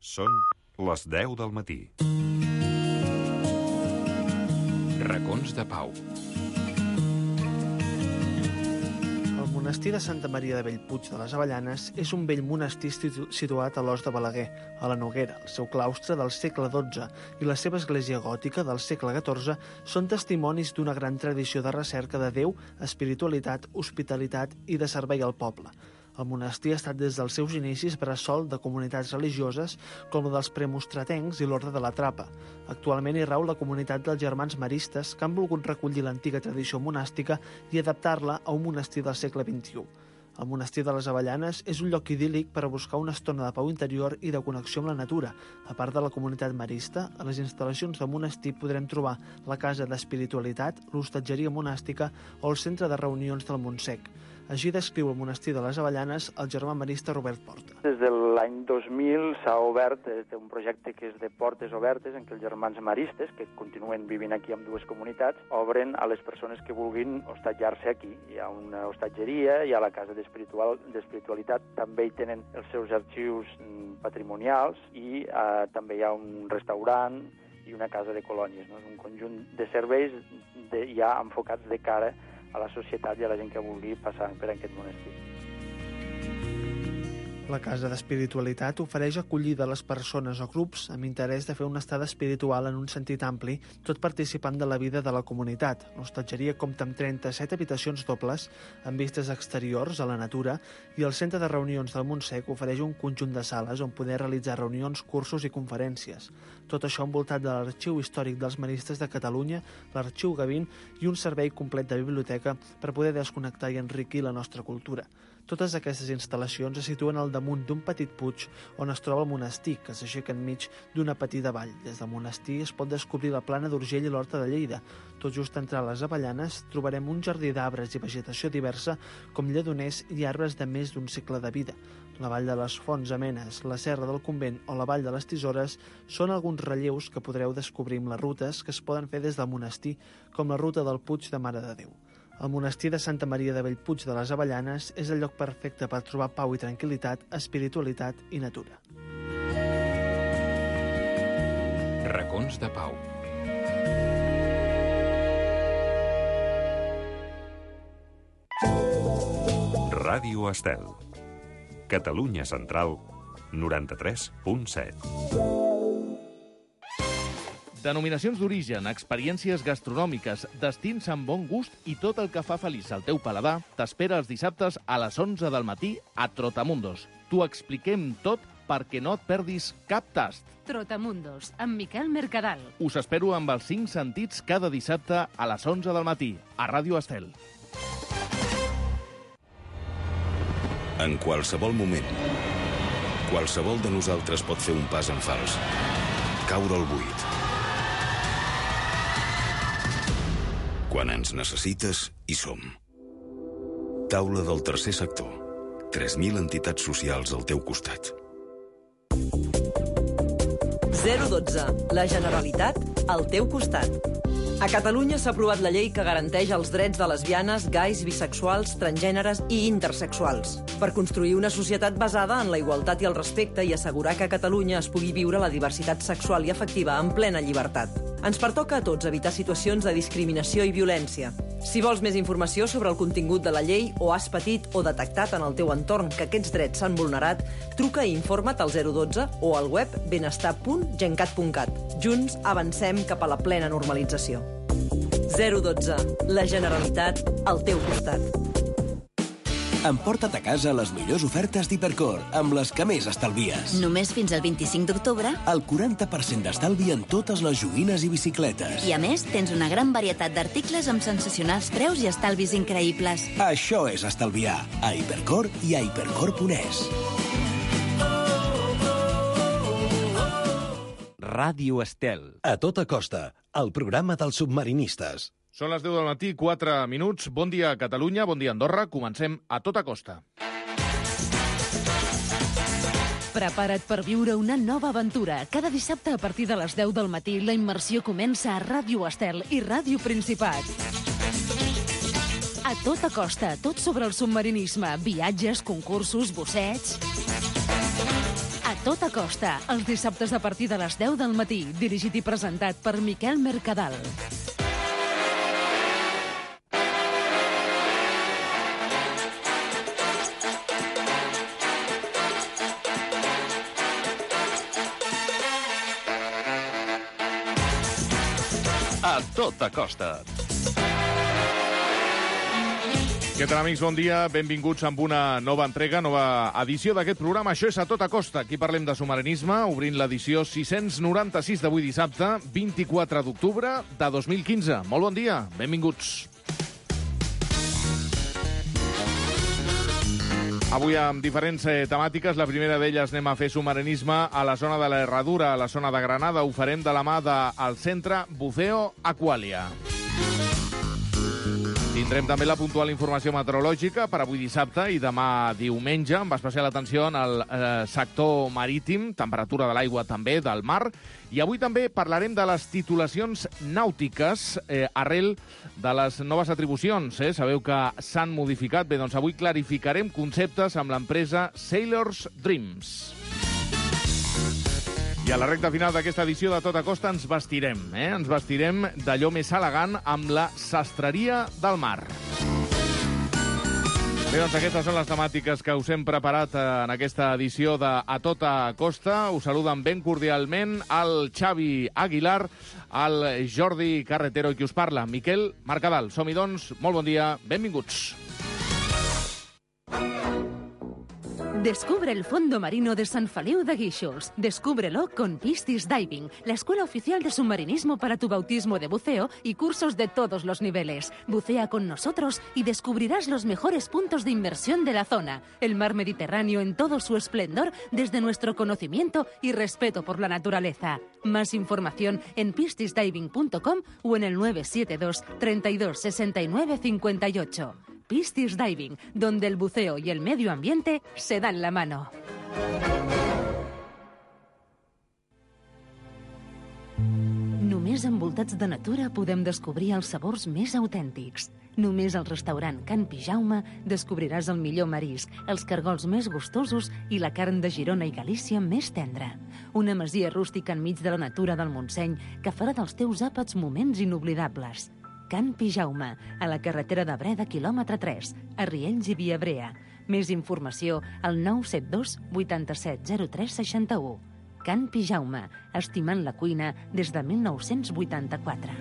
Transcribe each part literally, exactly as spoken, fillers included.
Són les deu del matí. Racons de Pau. El monestir de Santa Maria de Bellpuig de les Avellanes és un vell monestir situat a l'Os de Balaguer, a la Noguera. El seu claustre del segle dotze i la seva església gòtica del segle catorze són testimonis d'una gran tradició de recerca de Déu, espiritualitat, hospitalitat i de servei al poble. El monestir ha estat des dels seus inicis bressol de comunitats religioses com la dels premostratencs i l'Orde de la Trapa. Actualment hi rau la comunitat dels germans maristes que han volgut recollir l'antiga tradició monàstica i adaptar-la a un monestir del segle vint-i-u. El monestir de les Avellanes és un lloc idíl·lic per a buscar una estona de pau interior i de connexió amb la natura. A part de la comunitat marista, a les instal·lacions del monestir podrem trobar la casa d'espiritualitat, l'hostatgeria monàstica o el centre de reunions del Montsec. Així descriu el monestir de les Avellanes el germà marista Robert Porta. Des de l'any dos mil s'ha obert un projecte que és de portes obertes en què els germans maristes, que continuen vivint aquí amb dues comunitats, obren a les persones que vulguin hostatjar-se aquí. Hi ha una hostatgeria, hi ha la casa d'espiritual, d'espiritualitat, també hi tenen els seus arxius patrimonials i eh, també hi ha un restaurant i una casa de colònies. No? És un conjunt de serveis de, ja enfocats de cara a la societat i a la gent que vulgui passar per aquest monestir. La Casa d'Espiritualitat ofereix acollida a les persones o grups amb interès de fer una estada espiritual en un sentit ampli, tot participant de la vida de la comunitat. L'hostatgeria compta amb trenta-set habitacions dobles, amb vistes exteriors a la natura, i el centre de reunions del Montsec ofereix un conjunt de sales on poder realitzar reunions, cursos i conferències. Tot això envoltat de l'Arxiu Històric dels Maristes de Catalunya, l'Arxiu Gavín i un servei complet de biblioteca per poder desconnectar i enriquir la nostra cultura. Totes aquestes instal·lacions es situen al damunt d'un petit puig on es troba el monestir, que s'aixeca enmig d'una petita vall. Des del monestir es pot descobrir la plana d'Urgell i l'Horta de Lleida. Tot just entrar a les Avellanes trobarem un jardí d'arbres i vegetació diversa com lledoners i arbres de més d'un segle de vida. La Vall de les Fonts Amenes, la Serra del Convent o la Vall de les Tisores són alguns relleus que podreu descobrir amb les rutes que es poden fer des del monestir, com la ruta del Puig de Mare de Déu. El monestir de Santa Maria de Bellpuig de les Avellanes és el lloc perfecte per trobar pau i tranquil·litat, espiritualitat i natura. Racons de Pau. Ràdio Estel. Catalunya Central, noranta-tres punt set. Denominacions d'origen, experiències gastronòmiques, destins amb bon gust i tot el que fa feliç al teu paladar t'espera els dissabtes a les onze del matí a Trotamundos. T'ho expliquem tot perquè no et perdis cap tast. Trotamundos, amb Miquel Mercadal. Us espero amb els cinc sentits cada dissabte a les onze del matí a Ràdio Estel. En qualsevol moment, qualsevol de nosaltres pot fer un pas en fals, caure al buit. Quan ens necessites, hi som. Taula del tercer sector. tres mil entitats socials al teu costat. zero dotze. La Generalitat al teu costat. A Catalunya s'ha aprovat la llei que garanteix els drets de lesbianes, gais, bisexuals, transgèneres i intersexuals, per construir una societat basada en la igualtat i el respecte i assegurar que a Catalunya es pugui viure la diversitat sexual i afectiva en plena llibertat. Ens pertoca a tots evitar situacions de discriminació i violència. Si vols més informació sobre el contingut de la llei o has patit o detectat en el teu entorn que aquests drets s'han vulnerat, truca i informa't al zero dotze o al web benestar punt gencat punt cat. Junts avancem cap a la plena normalització. zero dotze. La Generalitat al teu costat. Emporta't a casa les millors ofertes d'Hipercor, amb les que més estalvies. Només fins al vint-i-cinc d'octubre. El quaranta per cent d'estalvi en totes les joguines i bicicletes. I a més, tens una gran varietat d'articles amb sensacionals preus i estalvis increïbles. Això és estalviar. A Hipercor i a hipercor punt es. Ràdio Estel. A tota costa, el programa dels submarinistes. Són les deu del matí, quatre minuts. Bon dia, Catalunya, bon dia, Andorra. Comencem a tota costa. Prepara't per viure una nova aventura. Cada dissabte a partir de les deu del matí la immersió comença a Ràdio Estel i Ràdio Principat. A tota costa, tot sobre el submarinisme, viatges, concursos, bussets... A tota costa, els dissabtes a partir de les deu del matí, dirigit i presentat per Miquel Mercadal. A tota costa. Què tal, amics? Bon dia. Benvinguts amb una nova entrega, nova edició d'aquest programa. Això és A Tota Costa. Aquí parlem de submarinisme, obrint l'edició sis-cents noranta-sis d'avui dissabte, vint-i-quatre d'octubre de dos mil quinze. Molt bon dia. Benvinguts. Avui amb diferents eh, temàtiques. La primera d'elles anem a fer submarinisme a la zona de la Herradura, a la zona de Granada. Ho farem de la mà del centre Buceo Aqualia. Tindrem també la puntual informació meteorològica per avui dissabte i demà diumenge, amb especial atenció en el eh, sector marítim, temperatura de l'aigua també, del mar. I avui també parlarem de les titulacions nàutiques eh, arrel de les noves atribucions. Eh? Sabeu que s'han modificat. Bé, doncs avui clarificarem conceptes amb l'empresa Sailors Dreams. I a la recta final d'aquesta edició de Tota Costa ens vestirem, eh? Ens vestirem d'allò més elegant amb la sastreria del mar. Bé, doncs aquestes són les temàtiques que us hem preparat en aquesta edició de A Tota Costa. Us saluden ben cordialment el Xavi Aguilar, el Jordi Carretero i qui us parla, Miquel Mercadal. Som-hi, doncs, molt bon dia, benvinguts. Descubre el fondo marino de San Feliu de Guíxols. Descúbrelo con Piscis Diving, la escuela oficial de submarinismo para tu bautismo de buceo y cursos de todos los niveles. Bucea con nosotros y descubrirás los mejores puntos de inmersión de la zona. El mar Mediterráneo en todo su esplendor desde nuestro conocimiento y respeto por la naturaleza. Más información en piscis diving punto com o en el nueve siete dos, treinta y dos, sesenta y nueve, cincuenta y ocho. Piscis Diving, donde el buceo y el medio ambiente se dan la mano. Només envoltats de natura podem descobrir els sabors més autèntics. Només al restaurant Can Pijaume descobriràs el millor marisc, els cargols més gustosos i la carn de Girona i Galícia més tendra. Una masia rústica enmig de la natura del Montseny que farà dels teus àpats moments inoblidables. Can Pijaume, a la carretera de Breda, quilòmetre tres, a Riells i Viabrea. Més informació al nou set dos, vuitanta-set, zero tres, seixanta-u. Can Pijaume, estimant la cuina des de mil nou-cents vuitanta-quatre.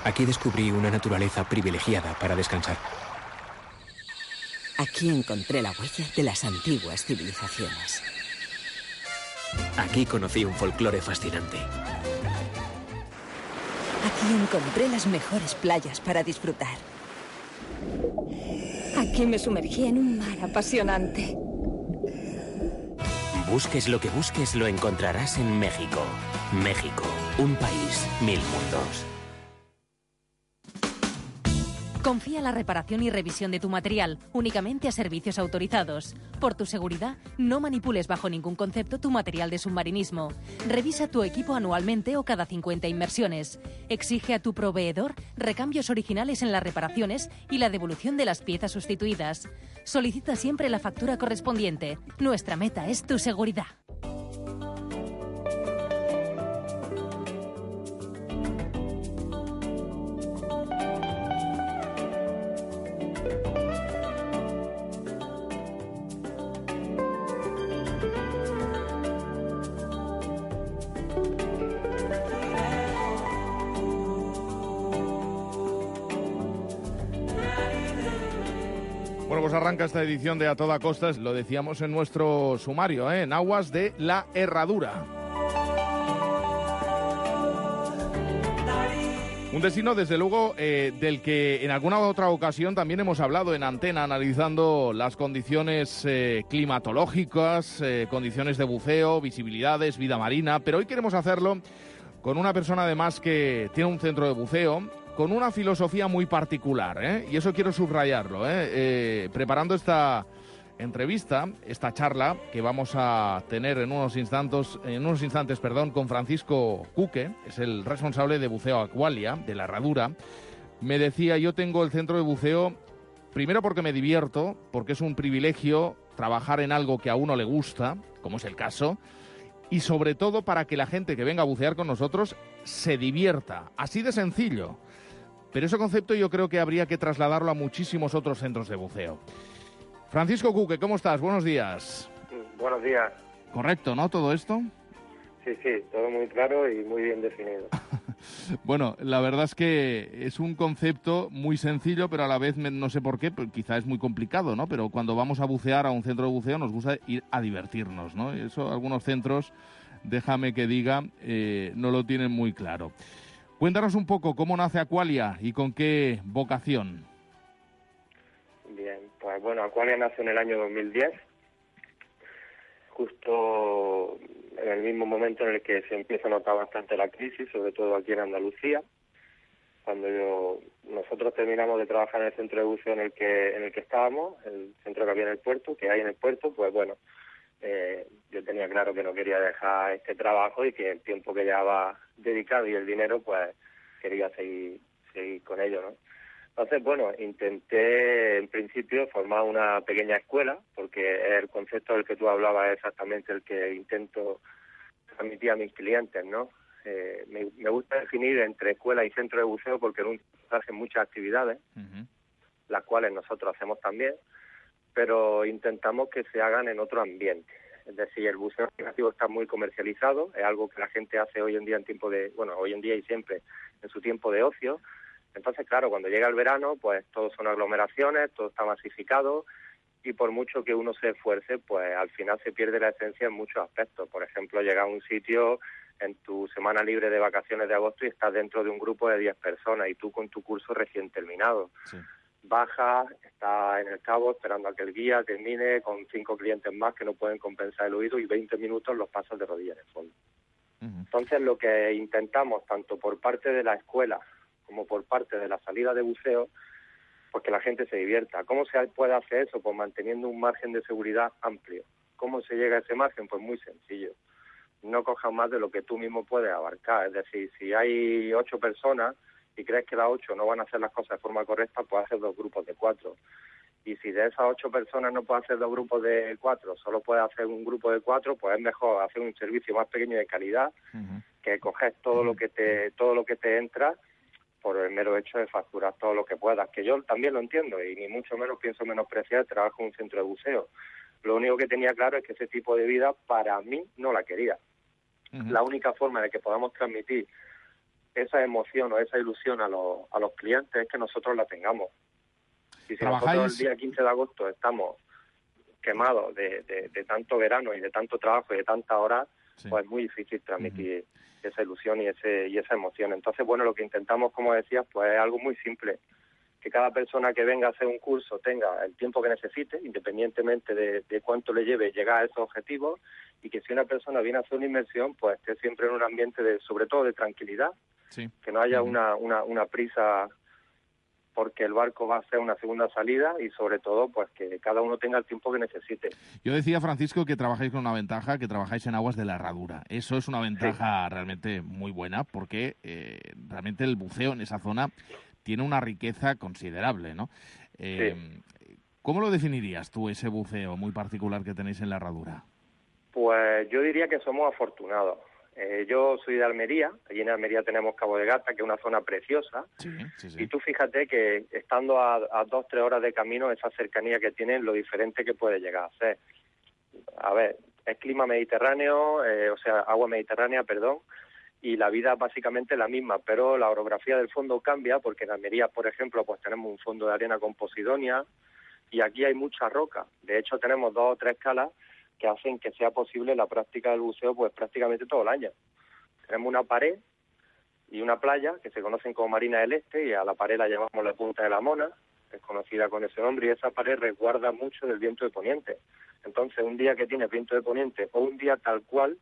Aquí descubrí una naturaleza privilegiada para descansar. Aquí encontré la huella de las antiguas civilizaciones. Aquí conocí un folclore fascinante. Aquí encontré las mejores playas para disfrutar. Aquí me sumergí en un mar apasionante. Busques lo que busques, lo encontrarás en México. México, un país, mil mundos. Confía la reparación y revisión de tu material únicamente a servicios autorizados. Por tu seguridad, no manipules bajo ningún concepto tu material de submarinismo. Revisa tu equipo anualmente o cada cincuenta inmersiones. Exige a tu proveedor recambios originales en las reparaciones y la devolución de las piezas sustituidas. Solicita siempre la factura correspondiente. Nuestra meta es tu seguridad. Bueno, pues arranca esta edición de A Toda Costa, lo decíamos en nuestro sumario, ¿eh? En aguas de la Herradura. Un destino, desde luego, eh, del que en alguna otra ocasión también hemos hablado en antena, analizando las condiciones eh, climatológicas, eh, condiciones de buceo, visibilidades, vida marina, pero hoy queremos hacerlo con una persona además que tiene un centro de buceo, con una filosofía muy particular, ¿eh? Y eso quiero subrayarlo, ¿eh? Eh, preparando esta entrevista, esta charla que vamos a tener en unos instantes, en unos instantes, perdón, con Francisco Cuque, es el responsable de Buceo Aqualia, de la Herradura. Me decía, yo tengo el centro de buceo Primero porque me divierto, porque es un privilegio trabajar en algo que a uno le gusta, como es el caso, y sobre todo para que la gente que venga a bucear con nosotros se divierta. Así de sencillo. Pero ese concepto yo creo que habría que trasladarlo a muchísimos otros centros de buceo. Francisco Cuque, ¿cómo estás? Buenos días. Buenos días. ¿Correcto, no, todo esto? Sí, sí, todo muy claro y muy bien definido. Bueno, la verdad es que es un concepto muy sencillo, pero a la vez no sé por qué, pues quizá es muy complicado, ¿no? Pero cuando vamos a bucear a un centro de buceo nos gusta ir a divertirnos, ¿no? Eso algunos centros, déjame que diga, eh, no lo tienen muy claro. Cuéntanos un poco cómo nace Aqualia y con qué vocación. Bien, pues bueno, Aqualia nace en el año dos mil diez, justo en el mismo momento en el que se empieza a notar bastante la crisis, sobre todo aquí en Andalucía. Cuando yo, nosotros terminamos de trabajar en el centro de buceo en el que en el que estábamos, el centro que había en el puerto, que hay en el puerto, pues bueno, eh, yo tenía claro que no quería dejar este trabajo y que el tiempo que llevaba dedicado y el dinero, pues quería seguir seguir con ello, ¿no? Entonces, bueno, intenté en principio formar una pequeña escuela, porque el concepto del que tú hablabas es exactamente el que intento transmitir a mis clientes, ¿no? Eh, me, me gusta definir entre escuela y centro de buceo porque en un se hacen muchas actividades, uh-huh. las cuales nosotros hacemos también, pero intentamos que se hagan en otro ambiente. Es decir, el buceo recreativo está muy comercializado, es algo que la gente hace hoy en día en tiempo de, bueno, hoy en día y siempre en su tiempo de ocio. Entonces, claro, cuando llega el verano, pues todo son aglomeraciones, todo está masificado y por mucho que uno se esfuerce, pues al final se pierde la esencia en muchos aspectos. Por ejemplo, llegar a un sitio en tu semana libre de vacaciones de agosto y estás dentro de un grupo de diez personas y tú con tu curso recién terminado. Sí. Bajas, estás en el cabo esperando a que el guía termine con cinco clientes más que no pueden compensar el oído y veinte minutos los pasas de rodillas en el fondo. Uh-huh. Entonces, lo que intentamos, tanto por parte de la escuela como por parte de la salida de buceo, pues que la gente se divierta. ¿Cómo se puede hacer eso? Pues manteniendo un margen de seguridad amplio. ¿Cómo se llega a ese margen? Pues muy sencillo. No cojas más de lo que tú mismo puedes abarcar. Es decir, si hay ocho personas y crees que las ocho no van a hacer las cosas de forma correcta, pues haces dos grupos de cuatro. Y si de esas ocho personas no puedes hacer dos grupos de cuatro, solo puedes hacer un grupo de cuatro, pues es mejor hacer un servicio más pequeño de calidad, uh-huh. que coger todo uh-huh. lo que te todo lo que te entra por el mero hecho de facturar todo lo que puedas, que yo también lo entiendo y ni mucho menos pienso menospreciar el trabajo en un centro de buceo. Lo único que tenía claro es que ese tipo de vida para mí no la quería. Uh-huh. La única forma de que podamos transmitir esa emoción o esa ilusión a los, a los clientes es que nosotros la tengamos. Y si ¿Trabajáis? Nosotros el día quince de agosto estamos quemados de, de, de tanto verano y de tanto trabajo y de tantas horas, sí. pues es muy difícil transmitir uh-huh. esa ilusión y ese y esa emoción. Entonces, bueno, lo que intentamos, como decías, pues es algo muy simple. Que cada persona que venga a hacer un curso tenga el tiempo que necesite, independientemente de, de cuánto le lleve llegar a esos objetivos, y que si una persona viene a hacer una inmersión, pues esté siempre en un ambiente de, sobre todo, de tranquilidad, sí. que no haya uh-huh. una, una, una prisa porque el barco va a hacer una segunda salida y sobre todo pues que cada uno tenga el tiempo que necesite. Yo decía, Francisco, que trabajáis con una ventaja, que trabajáis en aguas de la Herradura. Eso es una ventaja sí. realmente muy buena porque eh, realmente el buceo en esa zona tiene una riqueza considerable, ¿no? Eh, sí. ¿Cómo lo definirías tú, ese buceo muy particular que tenéis en la Herradura? Pues yo diría que somos afortunados. Eh, yo soy de Almería, allí en Almería tenemos Cabo de Gata, que es una zona preciosa, sí, sí, sí. y tú fíjate que estando a, a dos, tres horas de camino, esa cercanía que tienen, lo diferente que puede llegar a ser. A ver, es clima mediterráneo, eh, o sea, agua mediterránea, perdón, y la vida es básicamente la misma, pero la orografía del fondo cambia, porque en Almería, por ejemplo, pues tenemos un fondo de arena con posidonia, y aquí hay mucha roca. De hecho, tenemos dos o tres calas que hacen que sea posible la práctica del buceo pues prácticamente todo el año. Tenemos una pared y una playa que se conocen como Marina del Este, y a la pared la llamamos la Punta de la Mona, es conocida con ese nombre, y esa pared resguarda mucho del viento de poniente. Entonces, un día que tienes viento de poniente o un día tal cual,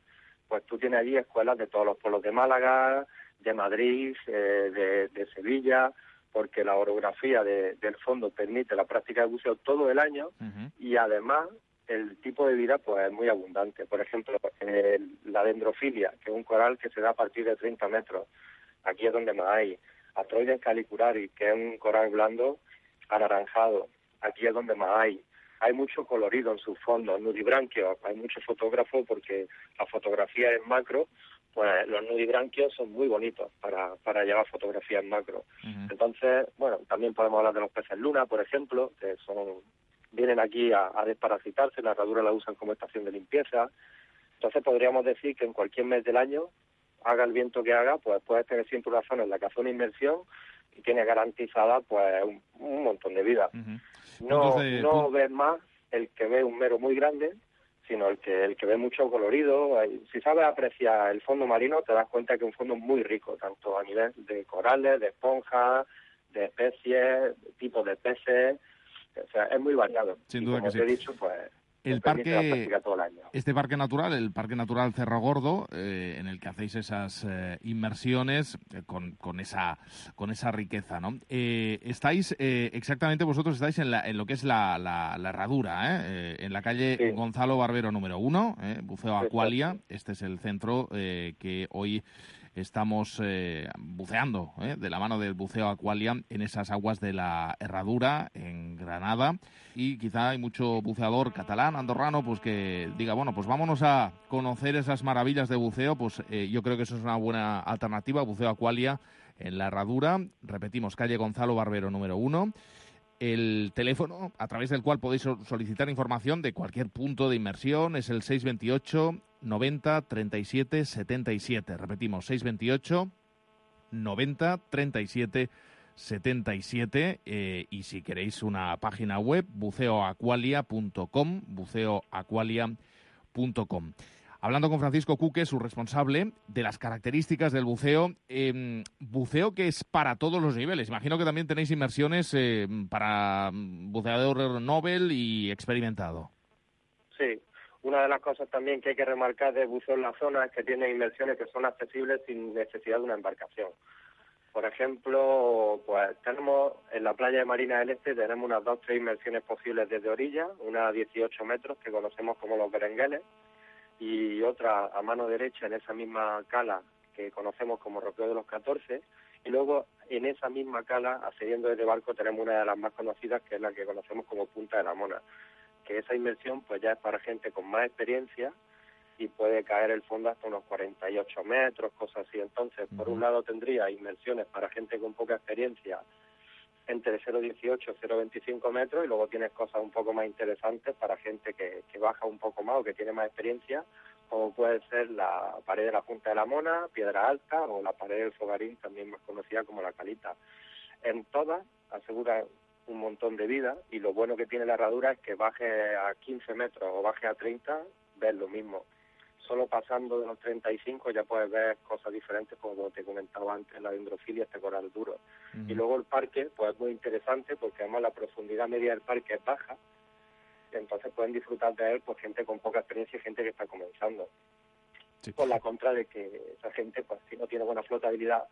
pues tú tienes allí escuelas de todos los pueblos de Málaga, de Madrid, eh, de, de Sevilla, porque la orografía de, del fondo permite la práctica de buceo todo el año, uh-huh. y además el tipo de vida pues es muy abundante. Por ejemplo, eh, la dendrofilia, que es un coral que se da a partir de treinta metros. Aquí es donde más hay. Atroides calicularis, que es un coral blando anaranjado. aquí es donde más hay. Hay mucho colorido en sus fondos, nudibranquios, hay muchos fotógrafos porque la fotografía en macro, pues los nudibranquios son muy bonitos para, para llevar fotografía en macro. Uh-huh. Entonces, bueno, también podemos hablar de los peces luna, por ejemplo, que son vienen aquí a, a desparasitarse, la herradura la usan como estación de limpieza. Entonces podríamos decir que en cualquier mes del año, haga el viento que haga, pues puedes tener siempre una zona en la que hace una inmersión y tiene garantizada pues un, un montón de vida. Uh-huh. No, de... no ves más el que ve un mero muy grande, sino el que el que ve mucho colorido. Si sabes apreciar el fondo marino, te das cuenta que es un fondo muy rico, tanto a nivel de corales, de esponjas, de especies, tipos de peces. O sea, es muy variado. Sin y duda como que te sí. he dicho, pues el parque, todo el año. Este parque natural, el Parque Natural Cerro Gordo, eh, en el que hacéis esas eh, inmersiones eh, con, con esa con esa riqueza, ¿no? Eh, estáis, eh, exactamente vosotros estáis en, la, en lo que es la, la, la herradura, ¿eh? Eh, en la calle sí. Gonzalo Barbero número uno, eh, Buceo Aqualia. Este es el centro eh, que hoy estamos eh, buceando, ¿eh? de la mano del Buceo Aqualia en esas aguas de la Herradura, en Granada. Y quizá hay mucho buceador catalán, andorrano, pues que diga, bueno, pues vámonos a conocer esas maravillas de buceo. Pues eh, yo creo que eso es una buena alternativa, Buceo Aqualia en la Herradura. Repetimos, calle Gonzalo Barbero número uno. El teléfono a través del cual podéis solicitar información de cualquier punto de inmersión es el seis veintiocho noventa treinta y siete setenta y siete. Repetimos, seis veintiocho noventa treinta y siete setenta y siete. Eh, y si queréis una página web, buceo aqualia punto com, buceo aqualia punto com. Hablando con Francisco Cuque, su responsable, de las características del buceo, eh, buceo que es para todos los niveles. Imagino que también tenéis inmersiones eh, para buceador novel y experimentado. Sí, una de las cosas también que hay que remarcar de buceo en la zona es que tiene inmersiones que son accesibles sin necesidad de una embarcación. Por ejemplo, pues tenemos en la playa de Marina del Este tenemos unas dos o tres inmersiones posibles desde orilla, una a dieciocho metros que conocemos como los berengueles, y otra a mano derecha en esa misma cala que conocemos como Ropeo de los catorce, y luego en esa misma cala, accediendo desde barco, tenemos una de las más conocidas, que es la que conocemos como Punta de la Mona, que esa inmersión pues ya es para gente con más experiencia y puede caer el fondo hasta unos cuarenta y ocho metros, cosas así. Entonces, por un lado tendría inmersiones para gente con poca experiencia entre cero coma dieciocho y cero coma veinticinco metros, y luego tienes cosas un poco más interesantes para gente que, que baja un poco más o que tiene más experiencia, como puede ser la pared de la Punta de la Mona, Piedra Alta, o la pared del Fogarín, también más conocida como la Calita. En todas asegura un montón de vida, y lo bueno que tiene la herradura es que baje a quince metros o baje a treinta, ves lo mismo. Solo pasando de los treinta y cinco ya puedes ver cosas diferentes, como te comentaba antes, la dendrofilia, este coral duro. Uh-huh. Y luego el parque, pues es muy interesante, porque además la profundidad media del parque es baja, entonces pueden disfrutar de él pues gente con poca experiencia y gente que está comenzando. Sí. Por la contra de que esa gente, pues si no tiene buena flotabilidad,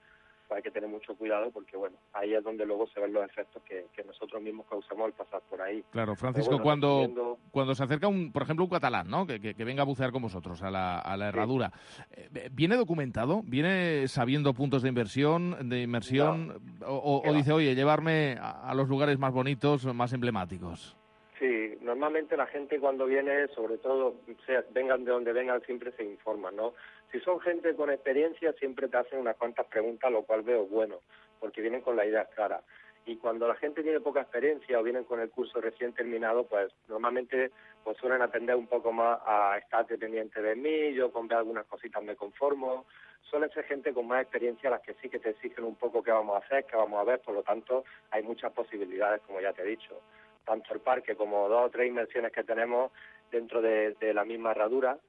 pues hay que tener mucho cuidado, porque bueno, ahí es donde luego se ven los efectos que, que nosotros mismos causamos al pasar por ahí. Claro, Francisco, bueno, cuando viendo... cuando se acerca, un, por ejemplo, un catalán, ¿no? Que, que, que venga a bucear con vosotros a la, a la herradura, sí. eh, ¿viene documentado? ¿Viene sabiendo puntos de inversión, de inmersión? No. O, o, o dice, oye, llevarme a, a los lugares más bonitos, más emblemáticos? Sí, normalmente la gente cuando viene, sobre todo, sea, vengan de donde vengan, siempre se informan, ¿no? Si son gente con experiencia, siempre te hacen unas cuantas preguntas, lo cual veo bueno, porque vienen con la idea clara. Y cuando la gente tiene poca experiencia o vienen con el curso recién terminado, pues normalmente pues suelen atender un poco más a estar dependiente de mí, yo con ver algunas cositas me conformo. Suele ser gente con más experiencia las que sí que te exigen un poco qué vamos a hacer, qué vamos a ver, por lo tanto hay muchas posibilidades, como ya te he dicho. Tanto el parque como dos o tres inmersiones que tenemos dentro de, de la misma herradura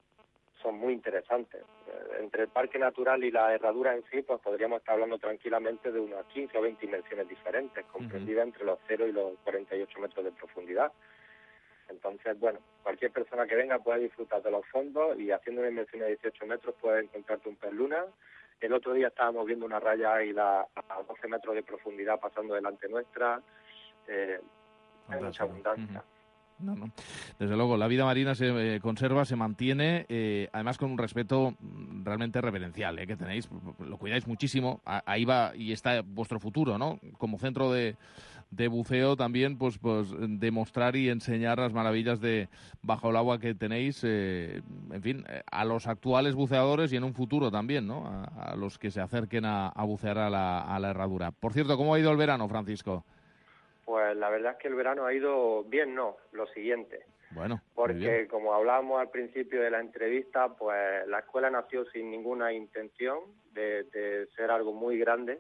son muy interesantes. Entre el parque natural y la herradura en sí, pues podríamos estar hablando tranquilamente de unas quince o veinte inmersiones diferentes, comprendidas uh-huh. entre los cero y los cuarenta y ocho metros de profundidad. Entonces, bueno, cualquier persona que venga puede disfrutar de los fondos, y haciendo una inmersión de dieciocho metros puedes encontrarte un pez luna. El otro día estábamos viendo una raya águila a doce metros de profundidad pasando delante nuestra. Eh, hay mucha abundancia. Uh-huh. No, no. Desde luego, la vida marina se eh, conserva, se mantiene, eh, además con un respeto realmente reverencial, eh, que tenéis, lo cuidáis muchísimo, ahí va y está vuestro futuro, ¿no? Como centro de, de buceo también, pues, pues demostrar y enseñar las maravillas de bajo el agua que tenéis, eh, en fin, a los actuales buceadores y en un futuro también, ¿no? A, a los que se acerquen a, a bucear a la, a la herradura. Por cierto, ¿cómo ha ido el verano, Francisco? Pues la verdad es que el verano ha ido bien, no, lo siguiente. Bueno, porque como hablábamos al principio de la entrevista, pues la escuela nació sin ninguna intención de, de ser algo muy grande,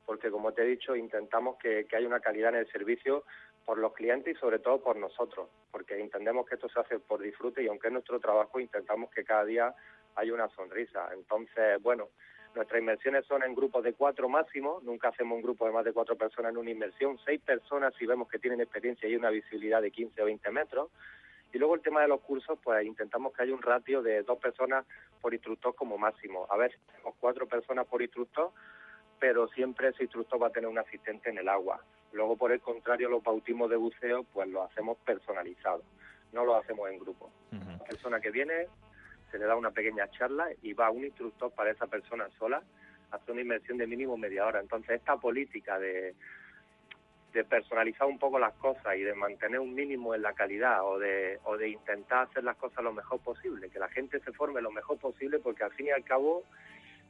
porque como te he dicho, intentamos que, que haya una calidad en el servicio por los clientes y sobre todo por nosotros, porque entendemos que esto se hace por disfrute y aunque es nuestro trabajo, intentamos que cada día haya una sonrisa. Entonces, bueno, nuestras inmersiones son en grupos de cuatro máximo, nunca hacemos un grupo de más de cuatro personas en una inmersión, seis personas si vemos que tienen experiencia y una visibilidad de quince o veinte metros. Y luego el tema de los cursos, pues intentamos que haya un ratio de dos personas por instructor como máximo. A veces tenemos cuatro personas por instructor, pero siempre ese instructor va a tener un asistente en el agua. Luego, por el contrario, los bautismos de buceo, pues los hacemos personalizados, no los hacemos en grupo. Uh-huh. La persona que viene, se le da una pequeña charla y va un instructor para esa persona sola a hacer una inmersión de mínimo media hora. Entonces, esta política de... de personalizar un poco las cosas y de mantener un mínimo en la calidad o de o de intentar hacer las cosas lo mejor posible, que la gente se forme lo mejor posible, porque al fin y al cabo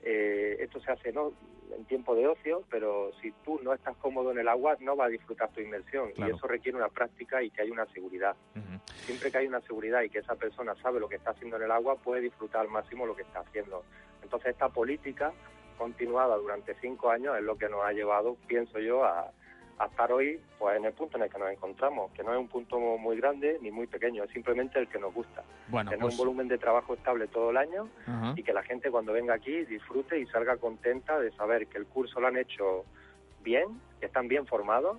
eh, esto se hace no en tiempo de ocio, pero si tú no estás cómodo en el agua no vas a disfrutar tu inmersión. Claro. Y eso requiere una práctica y que hay una seguridad. Uh-huh. Siempre que hay una seguridad y que esa persona sabe lo que está haciendo en el agua, puede disfrutar al máximo lo que está haciendo. Entonces esta política continuada durante cinco años es lo que nos ha llevado, pienso yo, a a estar hoy pues en el punto en el que nos encontramos, que no es un punto muy grande ni muy pequeño, es simplemente el que nos gusta. Bueno, tener pues... un volumen de trabajo estable todo el año. Uh-huh. Y que la gente cuando venga aquí disfrute y salga contenta de saber que el curso lo han hecho bien, que están bien formados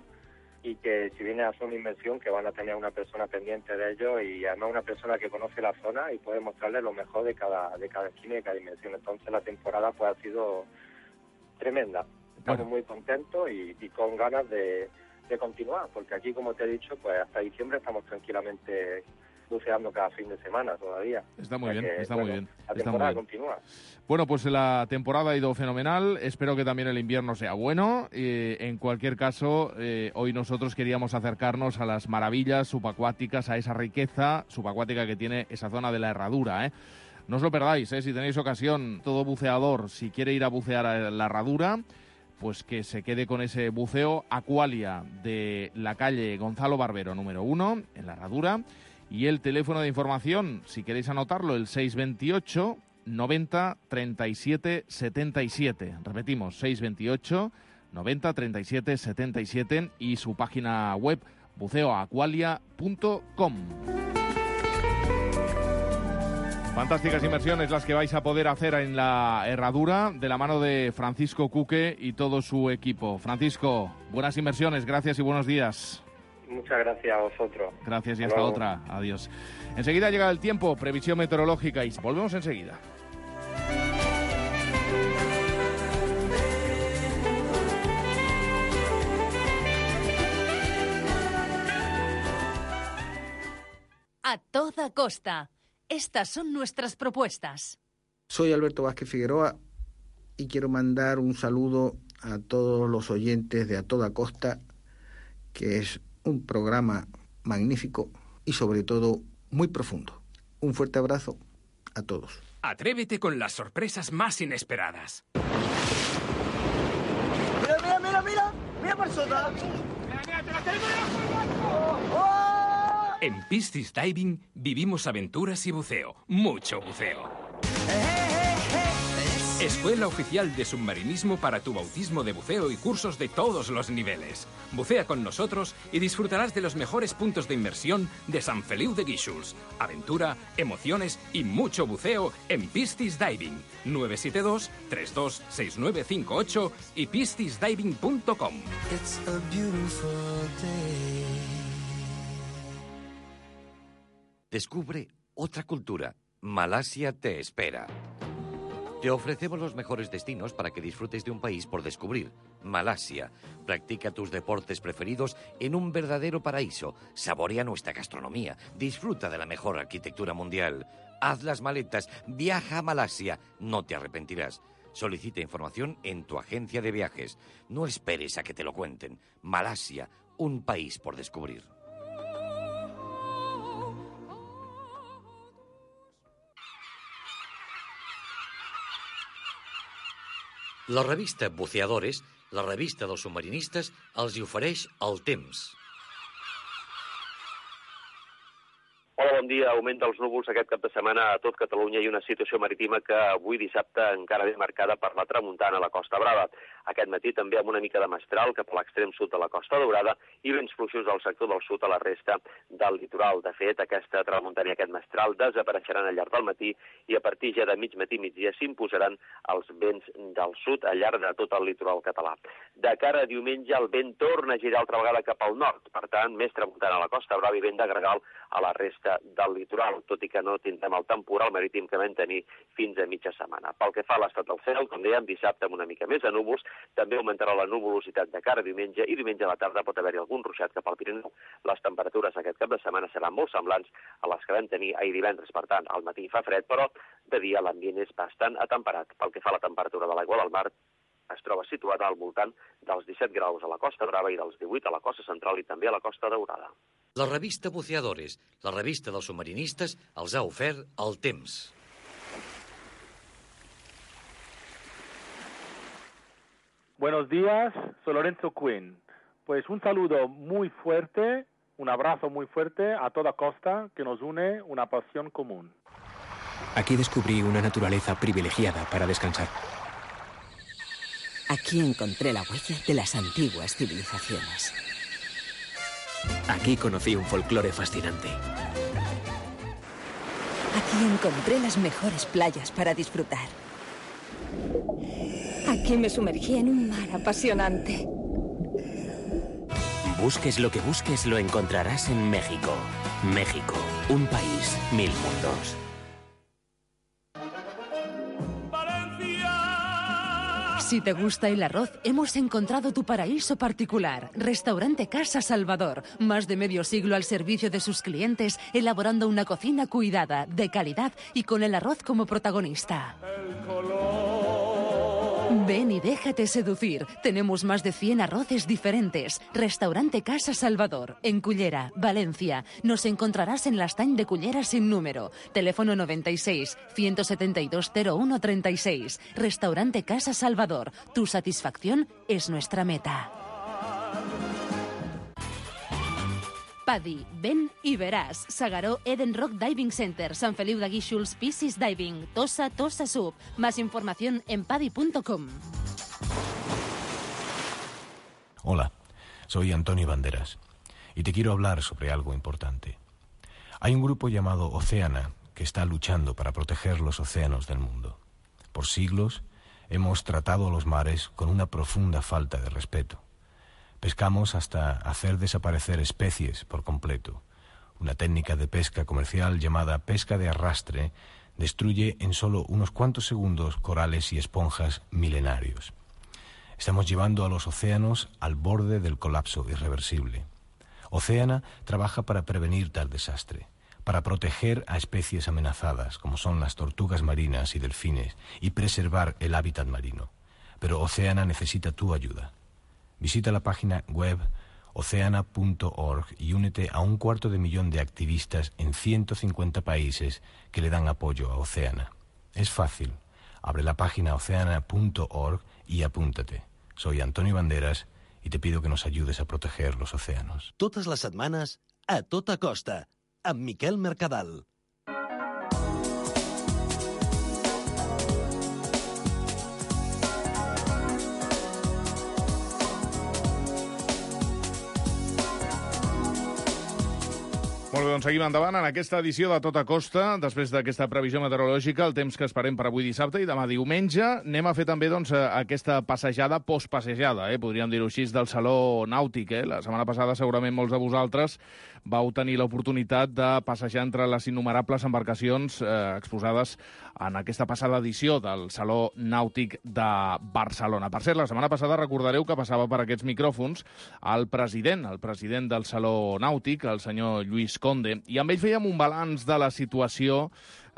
y que si vienen a hacer una inmersión que van a tener una persona pendiente de ellos y además una persona que conoce la zona y puede mostrarles lo mejor de cada, de cada esquina y de cada inmersión. Entonces la temporada pues ha sido tremenda. Estamos bueno. muy contentos y, y con ganas de, de continuar, porque aquí, como te he dicho, pues hasta diciembre estamos tranquilamente buceando cada fin de semana todavía. Está muy bien, que, está bueno, muy bien. La está temporada muy bien. continúa. Bueno, pues la temporada ha ido fenomenal. Espero que también el invierno sea bueno. Eh, en cualquier caso, eh, hoy nosotros queríamos acercarnos a las maravillas subacuáticas, a esa riqueza subacuática que tiene esa zona de la Herradura, ¿eh? No os lo perdáis, ¿eh? Si tenéis ocasión, todo buceador, si quiere ir a bucear a la Herradura, pues que se quede con ese buceo Aqualia de la calle Gonzalo Barbero, número uno, en la Herradura. Y el teléfono de información, si queréis anotarlo, el seis veintiocho noventa treinta y siete setenta y siete. Repetimos, seis veintiocho noventa treinta y siete setenta y siete y su página web buceo aqualia punto com. Fantásticas inmersiones las que vais a poder hacer en la Herradura de la mano de Francisco Cuque y todo su equipo. Francisco, buenas inmersiones, gracias y buenos días. Muchas gracias a vosotros. Gracias y hasta luego. Otra. Adiós. Enseguida llega el tiempo, previsión meteorológica y volvemos enseguida. A toda costa. Estas son nuestras propuestas. Soy Alberto Vázquez Figueroa y quiero mandar un saludo a todos los oyentes de A Toda Costa, que es un programa magnífico y sobre todo muy profundo. Un fuerte abrazo a todos. Atrévete con las sorpresas más inesperadas. ¡Mira, mira, mira, mira! ¡Mira persona! ¡Mira, mira, te la tengo ¡Oh, oh! En Piscis Diving vivimos aventuras y buceo. Mucho buceo. Escuela oficial de submarinismo para tu bautismo de buceo y cursos de todos los niveles. Bucea con nosotros y disfrutarás de los mejores puntos de inmersión de Sant Feliu de Guíxols. Aventura, emociones y mucho buceo en Piscis Diving. nueve siete dos, tres dos seis nueve cinco ocho y piscis diving punto com. Descubre otra cultura. Malasia te espera. Te ofrecemos los mejores destinos para que disfrutes de un país por descubrir. Malasia. Practica tus deportes preferidos en un verdadero paraíso. Saborea nuestra gastronomía. Disfruta de la mejor arquitectura mundial. Haz las maletas. Viaja a Malasia. No te arrepentirás. Solicita información en tu agencia de viajes. No esperes a que te lo cuenten. Malasia. un país por descubrir. La revista Buceadores, la revista dels submarinistes, els hi ofereix el temps. Hola, bon dia. Augment dels núvols aquest cap de setmana a tot Catalunya i una situació marítima que avui dissabte encara ve marcada per la tramuntana a la Costa Brava. Aquest matí també amb una mica de mestral cap a l'extrem sud de la Costa Daurada i vents fluixos del sector del sud a la resta del litoral. De fet, aquesta tramuntana i aquest mestral desapareixeran al llarg del matí i a partir ja de mig matí migdia s'imposaran els vents del sud al llarg de tot el litoral català. De cara a diumenge el vent torna a girar altra vegada cap al nord. Per tant, més tramuntana a la Costa Brava i vent de gregal a la resta del litoral, tot i que no tindrem el temporal marítim que vam tenir fins a mitja setmana. Pel que fa a l'estat del cel, com dèiem, dissabte amb una mica més de núvols, també augmentarà la nuvolositat de cara a diumenge i diumenge a la tarda pot haver-hi algun ruixat cap al Pirineu. Les temperatures aquest cap de setmana seran molt semblants a les que vam tenir ahir divendres. Per tant, al matí fa fred, però de dia l'ambient és bastant atemperat. Pel que fa a la temperatura de l'aigua del mar, es troba situada al voltant dels disset graus a la Costa Brava i dels divuit a la Costa Central i també a la Costa Daurada. La revista Buceadores, la revista dels submarinistes, els ha ofert el temps. Buenos días, soy Lorenzo Quinn. Pues un saludo muy fuerte, un abrazo muy fuerte a toda costa que nos une una pasión común. Aquí descubrí una naturaleza privilegiada para descansar. Aquí encontré la huella de las antiguas civilizaciones. Aquí conocí un folclore fascinante. Aquí encontré las mejores playas para disfrutar. Aquí me sumergí en un mar apasionante. Busques lo que busques, lo encontrarás en México. México, un país, mil mundos. Si te gusta el arroz, hemos encontrado tu paraíso particular. Restaurante Casa Salvador. Más de medio siglo al servicio de sus clientes, elaborando una cocina cuidada, de calidad y con el arroz como protagonista. Ven y déjate seducir. Tenemos más de cien arroces diferentes. Restaurante Casa Salvador, en Cullera, Valencia. Nos encontrarás en la estany de Cullera sin número. Teléfono noventa y seis, ciento setenta y dos, cero uno treinta y seis. Restaurante Casa Salvador. Tu satisfacción es nuestra meta. Paddy, ven i veràs. Segaró Eden Rock Diving Center, San Feliu de Guíxols, Piscis Diving, Tossa, Tossa Sub. Más información en paddy punto com. Hola, soy Antonio Banderas y te quiero hablar sobre algo importante. Hay un grupo llamado Oceana que está luchando para proteger los océanos del mundo. Por siglos hemos tratado a los mares con una profunda falta de respeto. Pescamos hasta hacer desaparecer especies por completo. Una técnica de pesca comercial llamada pesca de arrastre destruye en solo unos cuantos segundos corales y esponjas milenarios. Estamos llevando a los océanos al borde del colapso irreversible. Oceana trabaja para prevenir tal desastre, para proteger a especies amenazadas como son las tortugas marinas y delfines y preservar el hábitat marino. Pero Oceana necesita tu ayuda. Visita la página web oceana punto org y únete a un cuarto de millón de activistas en ciento cincuenta países que le dan apoyo a Oceana. Es fácil. Abre la página oceana punto org y apúntate. Soy Antonio Banderas y te pido que nos ayudes a proteger los océanos. Totes les setmanes, a tota costa, amb Miquel Mercadal. Molt bé, doncs seguim endavant en aquesta edició de Tota Costa, després d'aquesta previsió meteorològica, el temps que esperem per avui dissabte i demà diumenge. Anem a fer també doncs, aquesta passejada postpassejada, eh? podríem dir-ho així, del Saló Nàutic. Eh? La setmana passada segurament molts de vosaltres vau tenir l'oportunitat de passejar entre les innumerables embarcacions eh, exposades en aquesta passada edició del Saló Nàutic de Barcelona. Per cert, la setmana passada recordareu que passava per aquests micròfons el president, el president del Saló Nàutic, el senyor Lluís Conde, i amb ell fèiem un balanç de la situació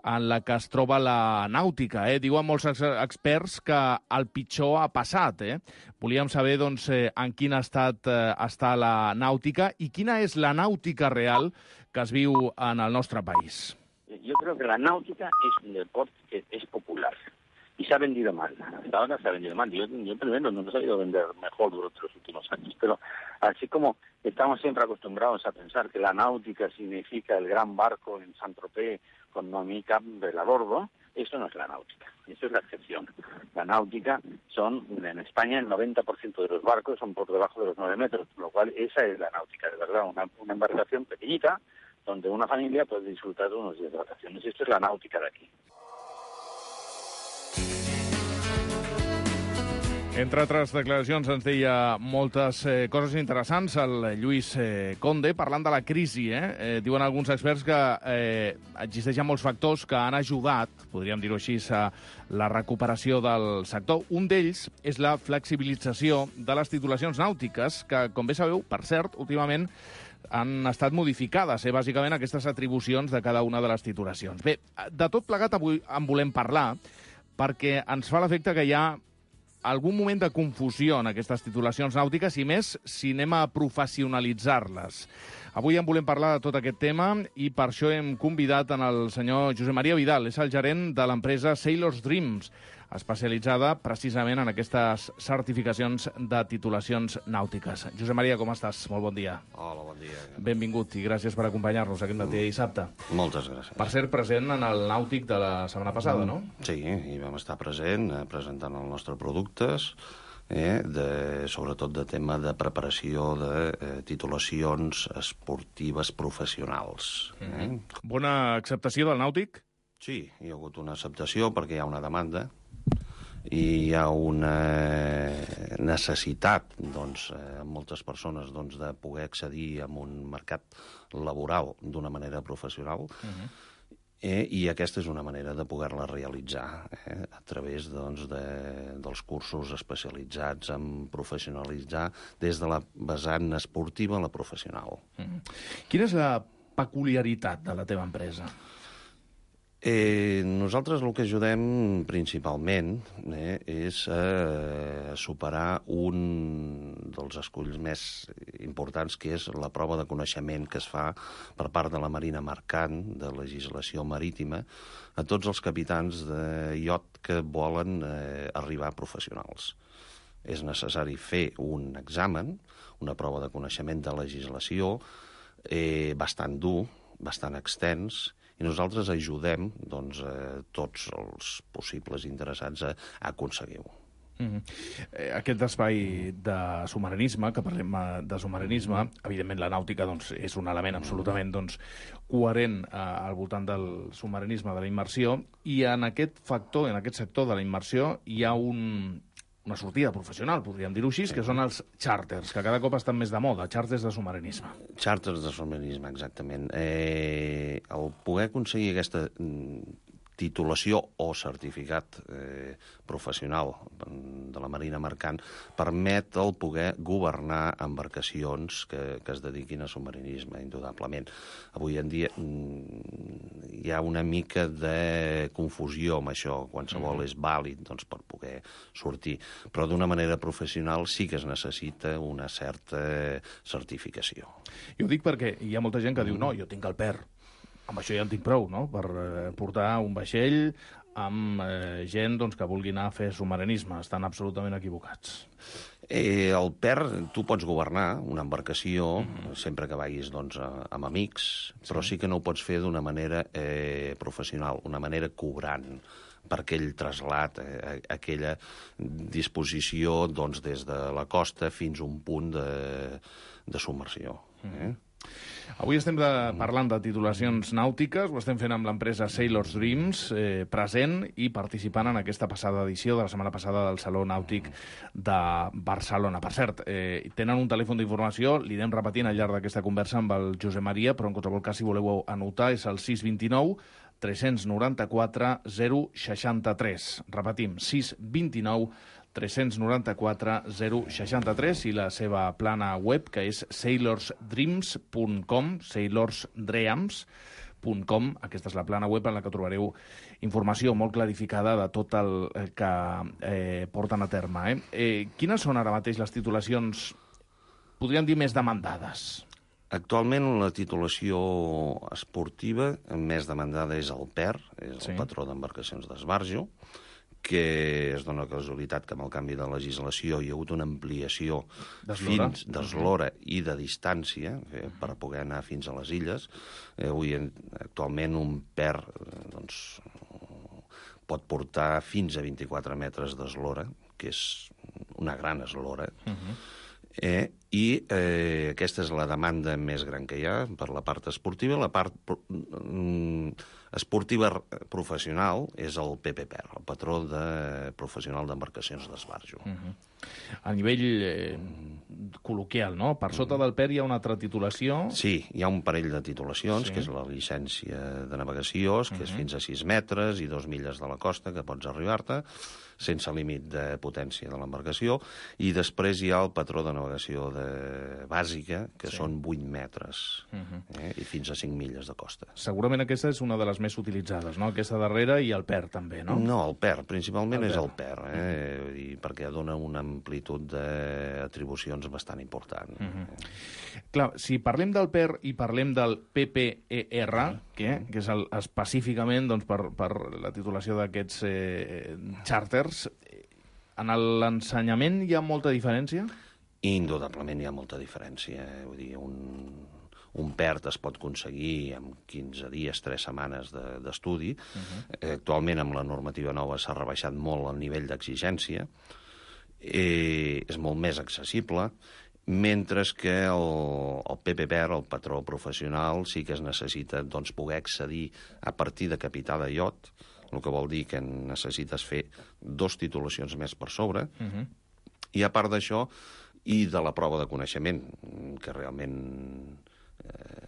en la que es troba la nàutica. Eh? Diuen molts experts que el pitjor ha passat. Eh? Volíem saber doncs, en quin estat eh, està la nàutica i quina és la nàutica real que es viu en el nostre país. Yo creo que la náutica es un deporte que es popular y se ha vendido mal. Hasta ahora se ha vendido mal. Yo, yo primero no nos ha ido a vender mejor durante los últimos años, pero así como estamos siempre acostumbrados a pensar que la náutica significa el gran barco en Saint-Tropez con Noemí Campbell a bordo, eso no es la náutica, eso es la excepción. La náutica son, en España, el noventa por ciento de los barcos son por debajo de los nueve metros, por lo cual esa es la náutica, de verdad, una, una embarcación pequeñita, donde una familia puede disfrutar de unos días de vacaciones. Esto es la náutica de aquí. Entre altres declaracions ens deia moltes eh, coses interessants el Lluís eh, Conde, parlant de la crisi. Eh? Eh, diuen alguns experts que eh, existeixen molts factors que han ajudat, podríem dir-ho així, a la recuperació del sector. Un d'ells és la flexibilització de les titulacions nàutiques, que, com bé sabeu, per cert, últimament han estat modificades, eh, bàsicament, aquestes atribucions de cada una de les titulacions. Bé, de tot plegat avui en volem parlar, perquè ens fa l'efecte que hi ha algun moment de confusió en aquestes titulacions nàutiques i més si anem a professionalitzar-les. Avui en volem parlar de tot aquest tema i per això hem convidat en el senyor Josep Maria Vidal, és el gerent de l'empresa Sailors Dreams, especialitzada precisament en aquestes certificacions de titulacions nàutiques. Josep Maria, com estàs? Molt bon dia. Hola, bon dia. Benvingut i gràcies per acompanyar-nos aquest matí de dissabte. Moltes gràcies. Per ser present en el nàutic de la setmana passada, no? Sí, hi vam estar present, eh, presentant els nostres productes, eh, de, sobretot de tema de preparació de eh, titulacions esportives professionals. Eh? Mm-hmm. Bona acceptació del nàutic? Sí, hi ha hagut una acceptació perquè hi ha una demanda i hi ha una necessitat, doncs, eh, moltes persones doncs, de poder accedir a un mercat laboral d'una manera professional. Uh-huh. eh, I aquesta és una manera de poder-la realitzar eh, a través doncs, de, dels cursos especialitzats en professionalitzar des de la vessant esportiva a la professional. Uh-huh. Quina és la peculiaritat de la teva empresa? Eh, nosaltres el que ajudem principalment eh, és a eh, superar un dels esculls més importants, que és la prova de coneixement que es fa per part de la Marina Mercant, de legislació marítima, a tots els capitans de iot que volen eh, arribar professionals. És necessari fer un examen, una prova de coneixement de legislació, eh, bastant dur, bastant extens, i nosaltres ajudem doncs, eh, tots els possibles interessats a, a aconseguir-ho. Mm-hmm. eh, aquest espai de submarinisme, que parlem de submarinisme, evidentment la nàutica doncs, és un element absolutament doncs, coherent eh, al voltant del submarinisme, de la immersió, i en aquest factor, en aquest sector de la immersió, hi ha un... una sortida professional, podríem dir-ho així, que són els xàrters, que cada cop estan més de moda, xàrters de submarinisme. Xàrters de submarinisme, exactament. Eh, el poder aconseguir aquesta titulació o certificat eh, professional de la Marina Mercant permet el poder governar embarcacions que, que es dediquin a submarinisme, indudablement. Avui en dia hi ha una mica de confusió amb això. Qualsevol és vàlid doncs, per poder sortir, però d'una manera professional sí que es necessita una certa certificació. Jo ho dic perquè hi ha molta gent que diu no, jo tinc el P E R, amb això ja en tinc prou, no?, per eh, portar un vaixell amb eh, gent doncs, que vulgui anar a fer submarinisme. Estan absolutament equivocats. Eh, el P E R, tu pots governar una embarcació mm-hmm. sempre que vagis doncs, amb amics, sí. Però sí que no ho pots fer d'una manera eh, professional, una manera cobrant per aquell trasllat, eh, aquella disposició doncs, des de la costa fins a un punt de, de submersió. Eh? Mm-hmm. Avui estem de, parlant de titulacions nàutiques, ho estem fent amb l'empresa Sailors Dreams, eh, present i participant en aquesta passada edició de la setmana passada del Saló Nàutic de Barcelona. Per cert, eh, tenen un telèfon d'informació, li anem repetint al llarg d'aquesta conversa amb el Josep Maria, però en qualsevol cas, si voleu anotar, és el sis dos nou, tres nou quatre, zero sis tres. Repetim, sis dos nou, tres nou quatre, zero sis tres i la seva plana web, que és sailors dreams punt com, sailors dreams punt com. Aquesta és la plana web en la que trobareu informació molt clarificada de tot el que eh, porten a terme. Eh? Eh, quines són ara mateix les titulacions, podríem dir, més demandades? Actualment la titulació esportiva més demandada és el P E R, és el sí. patró d'embarcacions d'esbarjo, que es dona casualitat que amb el canvi de legislació hi ha hagut una ampliació fins d'eslora i de distància eh, per poder anar fins a les illes. Eh, avui, actualment, un P E R doncs, pot portar fins a vint-i-quatre metres d'eslora, que és una gran eslora, uh-huh. Eh, i eh, aquesta és la demanda més gran que hi ha per la part esportiva. La part mm, esportiva professional és el P P P E R, el patró de professional d'embarcacions d'esbarjo. Uh-huh. A nivell eh, col·loquial, no? Per sota del P E R hi ha una altra titulació? Sí, hi ha un parell de titulacions, sí. que és la llicència de navegació, que uh-huh. és fins a sis metres i dos milles de la costa, que pots arribar-te, sense límit de potència de l'embarcació, i després hi ha el patró de navegació de bàsica, que sí. són vuit metres, uh-huh. eh, i fins a cinc milles de costa. Segurament aquesta és una de les més utilitzades, no? Aquesta darrera i el P E R també, no? No, el P E R, principalment el és el P E R, eh? uh-huh. i perquè dona una amplitud d'atribucions bastant important. Uh-huh. Clar, si parlem del P E R i parlem del P P E R, que, que és el, específicament doncs, per, per la titulació d'aquests eh, xàrters, en l'ensenyament hi ha molta diferència? Indudablement hi ha molta diferència. Vull dir, un, un P E R es pot aconseguir en quinze dies, tres setmanes d'estudi. De, uh-huh. Actualment, amb la normativa nova, s'ha rebaixat molt el nivell d'exigència. Eh, és molt més accessible, mentre que el, el P P P E R, el patró professional, sí que es necessita doncs, poder accedir a partir de capità de iot, el que vol dir que necessites fer dos titulacions més per sobre, uh-huh. i a part d'això, i de la prova de coneixement, que realment eh,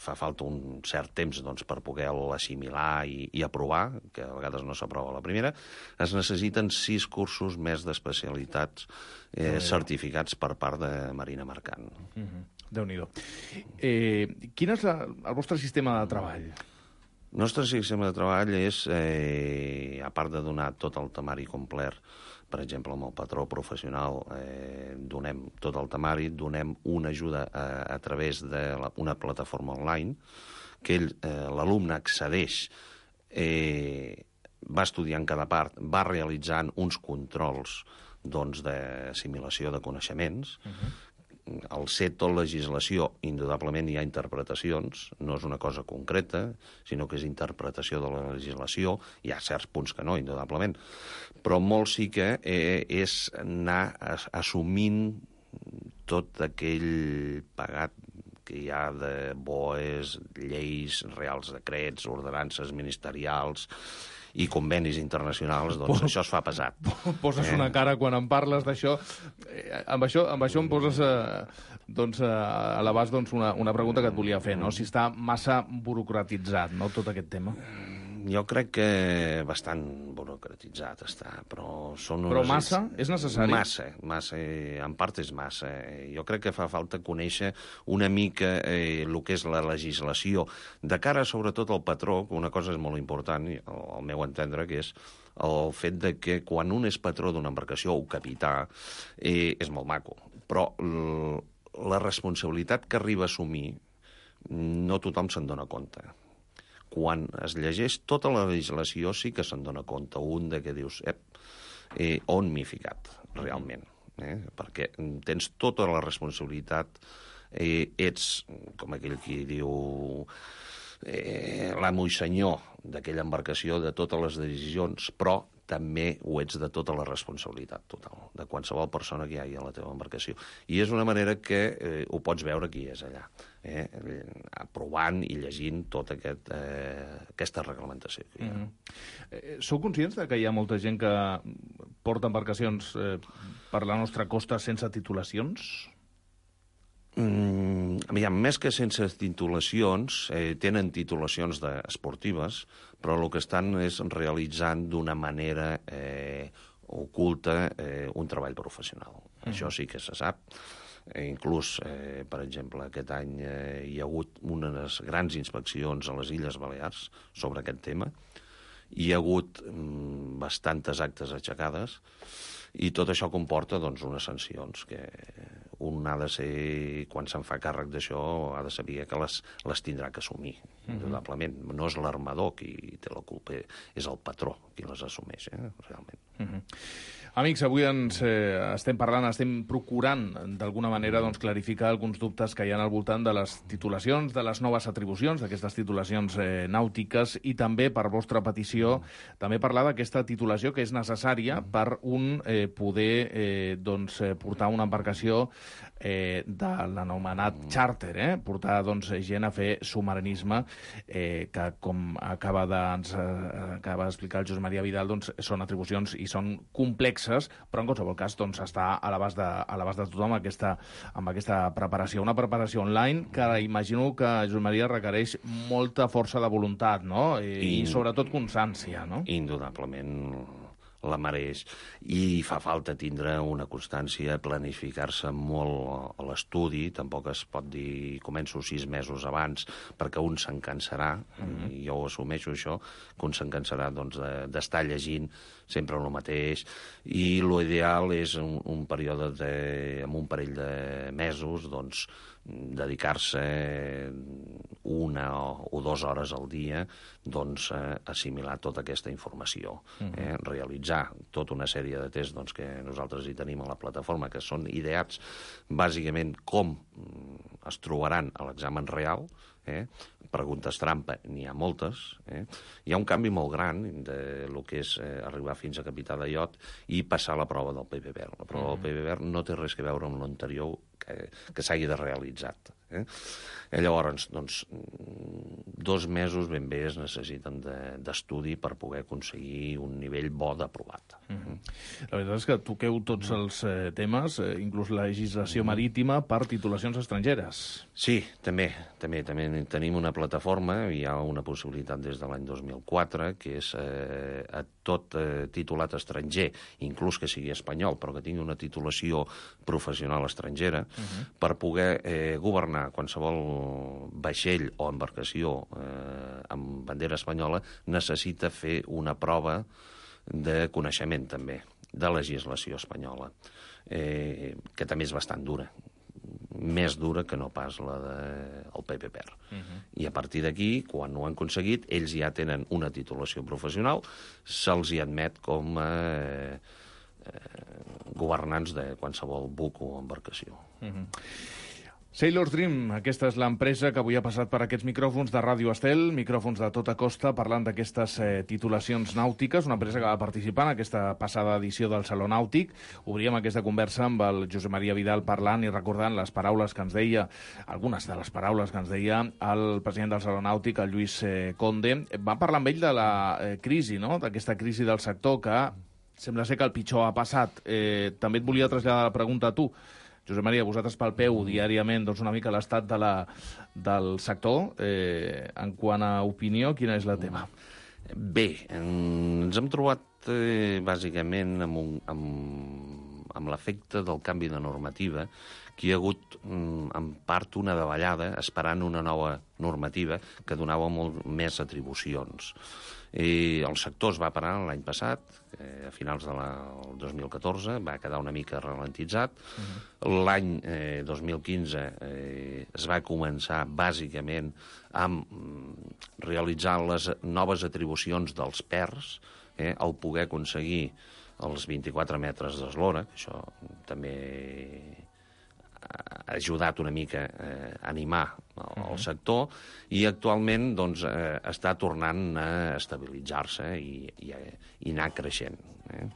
fa falta un cert temps doncs, per poder-la assimilar i, i aprovar, que a vegades no s'aprova la primera, es necessiten sis cursos més d'especialitats eh, certificats per part de Marina Mercant. Uh-huh. Déu-n'hi-do. Eh, quin és la, el vostre sistema de treball? El nostre sistema de treball és, eh, a part de donar tot el temari complet, per exemple, amb el patró professional, eh, donem tot el temari, donem una ajuda a, a través d'una plataforma online, que ell, eh, l'alumne accedeix, eh, va estudiant cada part, va realitzant uns controls doncs, d'assimilació de coneixements. Uh-huh. Al ser tot legislació, indudablement hi ha interpretacions, no és una cosa concreta, sinó que és interpretació de la legislació, hi ha certs punts que no, indudablement, però molt sí que eh, és anar assumint tot aquell pagat que hi ha de B O Es, lleis, reals decrets, ordenances ministerials i convenis internacionals, doncs Pos, això es fa pesat. Poses eh? una cara quan em parles d'això. Eh, amb, això amb això em poses eh, doncs, eh, a l'abast doncs, una, una pregunta que et volia fer, no? Si està massa burocratitzat, no?, tot aquest tema. Jo crec que bastant burocratitzat està, però són... Però massa? És necessari? Massa, massa, en part és massa. Jo crec que fa falta conèixer una mica eh, el que és la legislació, de cara sobretot al patró, que una cosa és molt important, al, al meu entendre, que és el fet de que quan un és patró d'una embarcació o capità, eh, és molt maco, però l, la responsabilitat que arriba a assumir no tothom se'n dona compte. Quan es llegeix tota la legislació sí que se'n dona compte un de que dius ep, eh, on m'he ficat realment, eh? Perquè tens tota la responsabilitat, eh, ets com aquell qui diu eh, l'amo i senyor d'aquella embarcació, de totes les decisions, però també ho ets de tota la responsabilitat total, de qualsevol persona que hi hagi a la teva embarcació. I és una manera que eh, ho pots veure qui és allà, eh, aprovant i llegint tota aquest, eh, aquesta reglamentació. Mm-hmm. eh, sou conscients de que hi ha molta gent que porta embarcacions eh, per la nostra costa sense titulacions? Mm, aviam, més que sense titulacions, eh, tenen titulacions de, esportives, però el que estan és realitzant d'una manera eh, oculta eh, un treball professional. Mm. Això sí que se sap. Eh, inclús, eh, per exemple, aquest any eh, hi ha hagut unes grans inspeccions a les Illes Balears sobre aquest tema. Hi ha hagut mm, bastantes actes aixecades i tot això comporta doncs, unes sancions que un ha de ser, quan se'n fa càrrec d'això, ha de saber que les, les tindrà que assumir, mm-hmm. indudablement. No és l'armador qui té la culpa, és el patró qui les assumeix, eh, realment. Mm-hmm. Amics, avui ens eh, estem parlant, estem procurant d'alguna manera doncs, clarificar alguns dubtes que hi ha al voltant de les titulacions, de les noves atribucions, d'aquestes titulacions eh, nàutiques i també, per vostra petició, també parlar d'aquesta titulació que és necessària per un eh, poder eh, doncs, eh, portar una embarcació eh, de l'anomenat charter, eh? portar doncs, gent a fer submarinisme, eh, que com acaba d'explicar el Josep Maria Vidal, doncs, són atribucions i són complexes, però en qualsevol cas doncs, està a l'abast de, a l'abast de tothom aquesta, amb aquesta preparació. Una preparació online que imagino que, Josep Maria, requereix molta força de voluntat, no? I, I, i sobretot constància, no? Indudablement la mereix. I fa falta tindre una constància, planificar-se molt a l'estudi. Tampoc es pot dir començo sis mesos abans perquè un se'n cansarà, mm-hmm. i jo ho assumeixo això, que un se'n cansarà doncs, d'estar llegint sempre el mateix, i l'ideal és un, un període de, amb un parell de mesos, doncs, dedicar-se una o, o dues hores al dia, doncs, eh, assimilar tota aquesta informació, mm-hmm. eh, realitzar tota una sèrie de tests doncs, que nosaltres hi tenim a la plataforma, que són ideats bàsicament com es trobaran a l'examen real. Eh? Preguntes trampa, n'hi ha moltes. Eh? Hi ha un canvi molt gran de lo que és eh, arribar fins a capità de iot i passar la prova del P P B E R. La prova mm. del P P B E R no té res a veure amb l'anterior que, que s'hagi de realitzat. Eh? I llavors, doncs, dos mesos ben bé es necessiten d'estudi de, per poder aconseguir un nivell bo d'aprovat. Mm-hmm. La veritat és que toqueu tots els eh, temes, eh, inclús la legislació marítima per titulacions estrangeres. Sí, també, també, també tenim una plataforma, hi ha una possibilitat des de l'any dos mil quatre, que és eh, a tot eh, titulat estranger, inclús que sigui espanyol, però que tingui una titulació professional estrangera, uh-huh. per poder eh, governar qualsevol vaixell o embarcació eh, amb bandera espanyola, necessita fer una prova de coneixement també, de legislació espanyola, eh, que també és bastant dura, més dura que no pas la del P P B E R. Uh-huh. I a partir d'aquí, quan ho han aconseguit, ells ja tenen una titulació professional, se'ls hi admet com a eh, eh, governants de qualsevol buc o embarcació. Uh-huh. Sailor's Dream, aquesta és l'empresa que avui ha passat per aquests micròfons de Ràdio Estel, micròfons de tota costa, parlant d'aquestes eh, titulacions nàutiques, una empresa que va participar en aquesta passada edició del Saló Nàutic. Obríem aquesta conversa amb el Josep Maria Vidal parlant i recordant les paraules que ens deia, algunes de les paraules que ens deia el president del Saló Nàutic, el Lluís eh, Conde. Va parlar amb ell de la eh, crisi, no?, d'aquesta crisi del sector, que sembla ser que el pitjor ha passat. Eh, també et volia traslladar la pregunta a tu. Josep Maria, vosaltres palpeu diàriament doncs, una mica l'estat de la, del sector. Eh, en quant a opinió, quina és la teva? Bé, ens hem trobat eh, bàsicament amb, un, amb, amb l'efecte del canvi de normativa, que hi ha hagut en part una davallada esperant una nova normativa que donava molt més atribucions. I el sector es va parar l'any passat, eh, a finals del dos mil catorze, va quedar una mica ralentitzat. Uh-huh. L'any eh, dos mil quinze eh, es va començar bàsicament amb realitzar les noves atribucions dels P E Rs, eh, el poder aconseguir els vint-i-quatre metres d'eslora, que això també ha ajudat una mica eh, a animar el, el sector, i actualment doncs, eh, està tornant a estabilitzar-se i, i, i anar creixent, eh,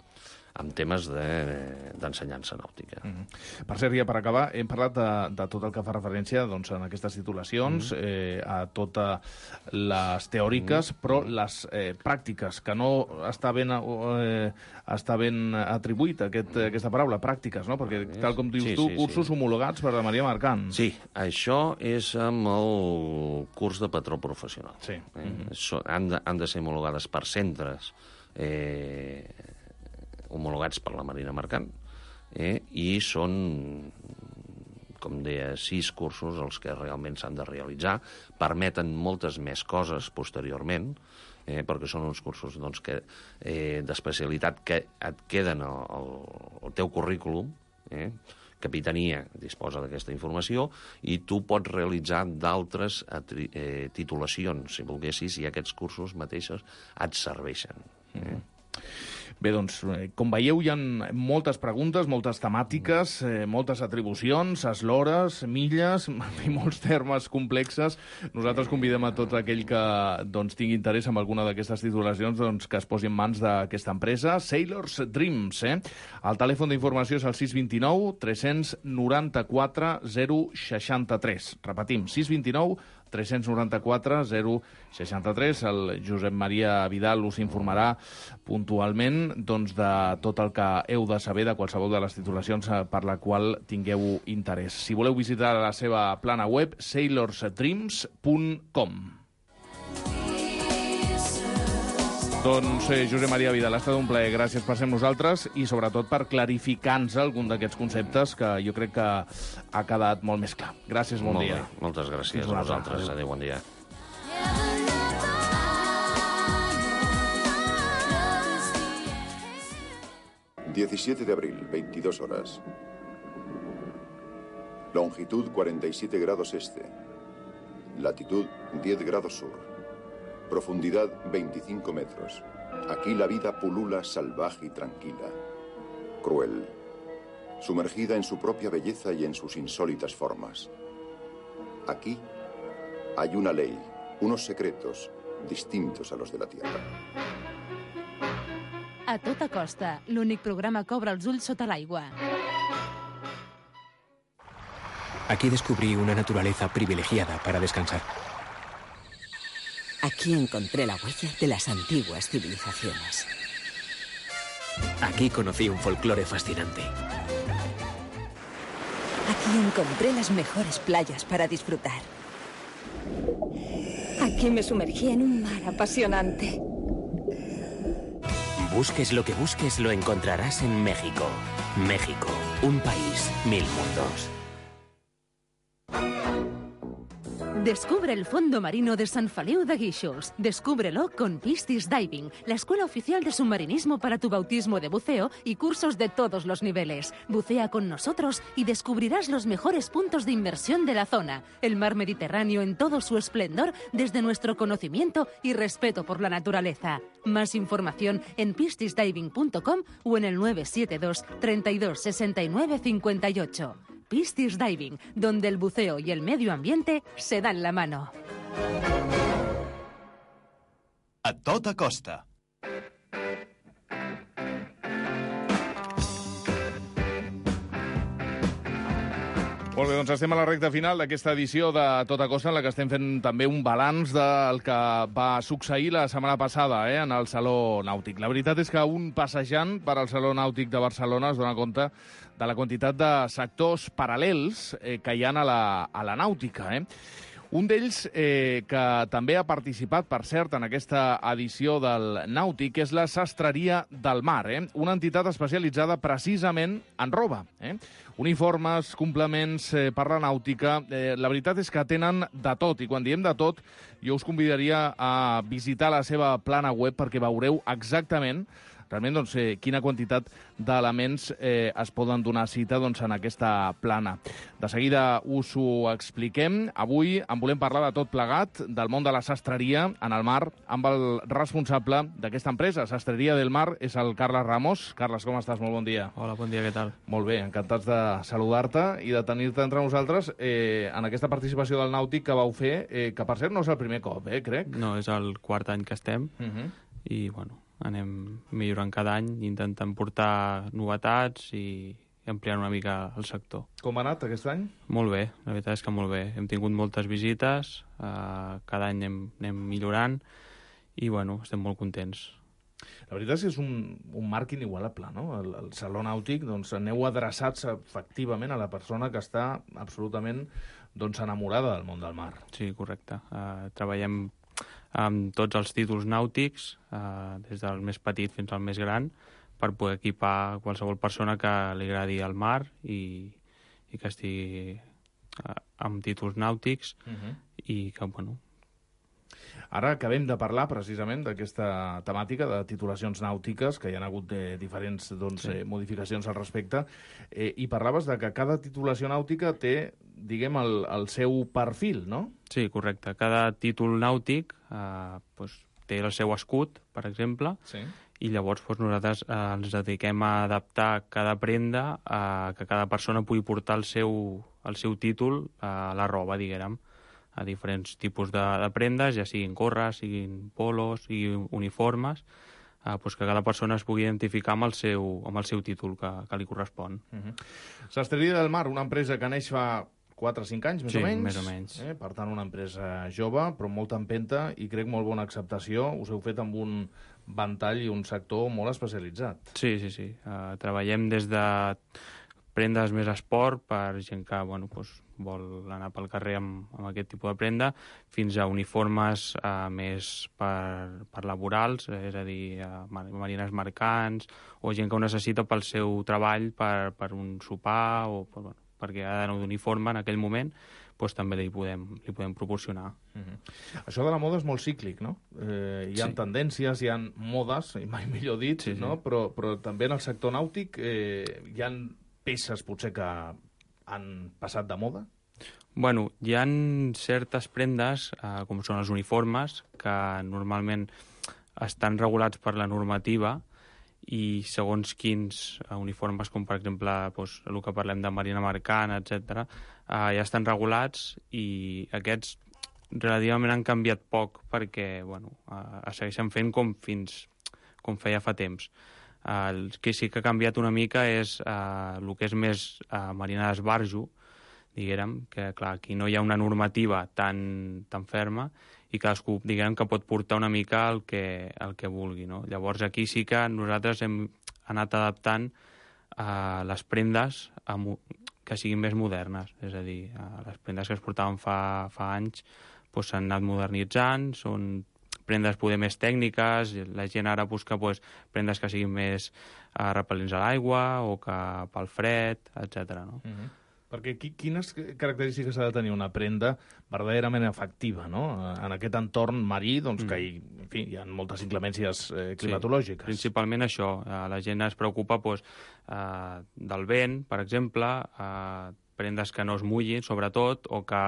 amb temes d'ensenyança de, nàutica. Mm-hmm. Per cert, ja per acabar, hem parlat de, de tot el que fa referència doncs, en aquestes titulacions, mm-hmm. eh, a totes les teòriques, mm-hmm. però les eh, pràctiques, que no està ben, eh, està ben atribuït aquest, mm-hmm. aquesta paraula, pràctiques, no? Perquè, tal com dius sí, tu, sí, cursos sí. homologats per la Maria Mercant. Sí, això és amb el curs de patró professional. Sí. Eh? Mm-hmm. So, han, de, han de ser homologades per centres eh, homologats per la Marina Mercant, eh, i són com deia, sis cursos els que realment s'han de realitzar, permeten moltes més coses posteriorment, eh, perquè són uns cursos doncs, que, eh, d'especialitat que et queden al, al, al teu currículum, eh, Capitania disposa d'aquesta informació i tu pots realitzar d'altres eh, titulacions, si volguessis, i aquests cursos mateixos et serveixen. Eh? Mm. Bé, doncs, com veieu, hi ha moltes preguntes, moltes temàtiques, eh, moltes atribucions, eslores, milles i molts termes complexes. Nosaltres convidem a tot aquell que doncs, tingui interès en alguna d'aquestes titulacions doncs, que es posi en mans d'aquesta empresa, Sailors Dreams. Eh? El telèfon d'informació és el sis dos nou, tres nou quatre, zero sis tres. Repetim, sis dos nou, tres nou quatre, zero sis tres. El Josep Maria Vidal us informarà puntualment doncs, de tot el que heu de saber de qualsevol de les titulacions per la qual tingueu interès. Si voleu visitar la seva plana web, sailors dreams punt com. Doncs eh, Josep Maria Vidal, ha estat un plaer. Gràcies per ser amb nosaltres i sobretot per clarificar-nos algun d'aquests conceptes que jo crec que ha quedat molt més clar. Gràcies, bon molt dia. Bé. Moltes gràcies a vosaltres. Adéu, bon dia. diecisiete de abril, veintidós horas. Longitud cuarenta y siete grados este. Latitud diez grados sur. Profundidad veinticinco metros. Aquí la vida pulula salvaje y tranquila. Cruel. Sumergida en su propia belleza y en sus insólitas formas. Aquí hay una ley, unos secretos distintos a los de la Tierra. A tota costa, l'únic programa que obre els ulls sota l'aigua. Aquí descubrí una naturaleza privilegiada para descansar. Aquí encontré la huella de las antiguas civilizaciones. Aquí conocí un folclore fascinante. Aquí encontré las mejores playas para disfrutar. Aquí me sumergí en un mar apasionante. Busques lo que busques, lo encontrarás en México. México, un país, mil mundos. Descubre el fondo marino de San Feliu de Guíxols. Descúbrelo con Piscis Diving, la escuela oficial de submarinismo para tu bautismo de buceo y cursos de todos los niveles. Bucea con nosotros y descubrirás los mejores puntos de inmersión de la zona. El mar Mediterráneo en todo su esplendor desde nuestro conocimiento y respeto por la naturaleza. Más información en piscis diving punto com o en el nueve siete dos, treinta y dos, sesenta y nueve, cincuenta y ocho. Piscis Diving, donde el buceo y el medio ambiente se dan la mano. A tota costa. Molt bé, doncs estem a la recta final d'aquesta edició de Tota Costa, en la que estem fent també un balanç del que va succeir la setmana passada eh, en el Saló Nàutic. La veritat és que un passejant per al Saló Nàutic de Barcelona es dona compte de la quantitat de sectors paral·lels eh, que hi ha a la, a la nàutica. Eh? Un d'ells eh, que també ha participat, per cert, en aquesta edició del Nàutic és la Sastreria del Mar, eh? Una entitat especialitzada precisament en roba. Eh? Uniformes, complements eh, per la nàutica. Eh, la veritat és que tenen de tot, i quan diem de tot, jo us convidaria a visitar la seva plana web perquè veureu exactament realment doncs, eh, quina quantitat d'elements eh, es poden donar cita doncs, en aquesta plana. De seguida us ho expliquem. Avui en volem parlar de tot plegat, del món de la sastreria en el mar, amb el responsable d'aquesta empresa, Sastreria del Mar, és el Carles Ramos. Carles, com estàs? Molt bon dia. Hola, bon dia, què tal? Molt bé, encantats de saludar-te i de tenir-te entre nosaltres eh, en aquesta participació del Nàutic que vau fer, eh, que per cert no és el primer cop, eh, crec. No, és el quart any que estem uh -huh. i, bueno, anem millorant cada any, intentant portar novetats i ampliant una mica el sector. Com ha anat aquest any? Molt bé, la veritat és que molt bé. Hem tingut moltes visites, eh, cada any anem, anem millorant i, bueno, estem molt contents. La veritat és que és un, un marc inigualable, no? El, el Saló Nàutic, doncs, aneu adreçats efectivament a la persona que està absolutament doncs, enamorada del món del mar. Sí, correcte. Uh, treballem amb tots els títols nàutics, eh, des del més petit fins al més gran, per poder equipar qualsevol persona que li agradi el mar i, i que estigui amb títols nàutics uh-huh. i que, bueno... Ara acabem de parlar precisament d'aquesta temàtica de titulacions nàutiques, que hi ha hagut de diferents doncs, sí. eh, modificacions al respecte, eh, i parlaves de que cada titulació nàutica té, diguem, el, el seu perfil, no? Sí, correcte. Cada títol nàutic eh, doncs, té el seu escut, per exemple, sí. i llavors doncs, nosaltres eh, ens dediquem a adaptar cada prenda a que cada persona pugui portar el seu, el seu títol a la roba, diguem, a diferents tipus de, de prendes, ja siguin gorres, siguin polos, siguin uniformes, eh, doncs que cada persona es pugui identificar amb el seu, amb el seu títol que, que li correspon. Uh-huh. Sastreria del Mar, una empresa que neix fa quatre o cinc anys, més sí, o menys. més o menys. Eh? Per tant, una empresa jove, però amb molta empenta i crec molt bona acceptació. Us heu fet amb un ventall i un sector molt especialitzat. Sí, sí, sí. Uh, treballem des de prendes més esport per gent que bueno, doncs, vol anar pel carrer amb, amb aquest tipus de prenda, fins a uniformes uh, més per, per laborals, és a dir, uh, marines mercants, o gent que ho necessita pel seu treball, per, per un sopar, o per, bueno, perquè ha d'anar d'uniforme en aquell moment, doncs també li podem, li podem proporcionar. Uh-huh. Això de la moda és molt cíclic, no? Eh, hi ha sí. tendències, hi ha modes, i mai millor dit, sí, no? Sí. Però, però també en el sector nàutic eh, hi ha peces potser que han passat de moda? Bueno, hi ha certes prendes, eh, com són els uniformes, que normalment estan regulats per la normativa i segons quins eh, uniformes, com per exemple doncs, el que parlem de marina mercant, etcètera, eh, ja estan regulats i aquests relativament han canviat poc perquè bueno, eh, es segueixen fent com fins com feia fa temps. El que sí que ha canviat una mica és eh, el que és més eh, marina d'esbarjo, diguem, que clar, aquí no hi ha una normativa tan, tan ferma i cadascú, diguem, que pot portar una mica el que, el que vulgui, no? Llavors aquí sí que nosaltres hem anat adaptant eh, les prendes a, que siguin més modernes, és a dir, eh, les prendes que es portaven fa, fa anys doncs, s'han anat modernitzant, són prendes poder més tècniques, la gent ara busca pues, prendes que siguin més uh, repel·lents a l'aigua o que pel fred, etcètera. No? Uh-huh. Perquè quines característiques ha de tenir una prenda verdaderament efectiva, no? En aquest entorn marí, doncs, mm. que hi, en fi, hi ha moltes inclemències eh, climatològiques. Sí, principalment això. La gent es preocupa pues, eh, del vent, per exemple, eh, prendes que no es mullin, sobretot, o que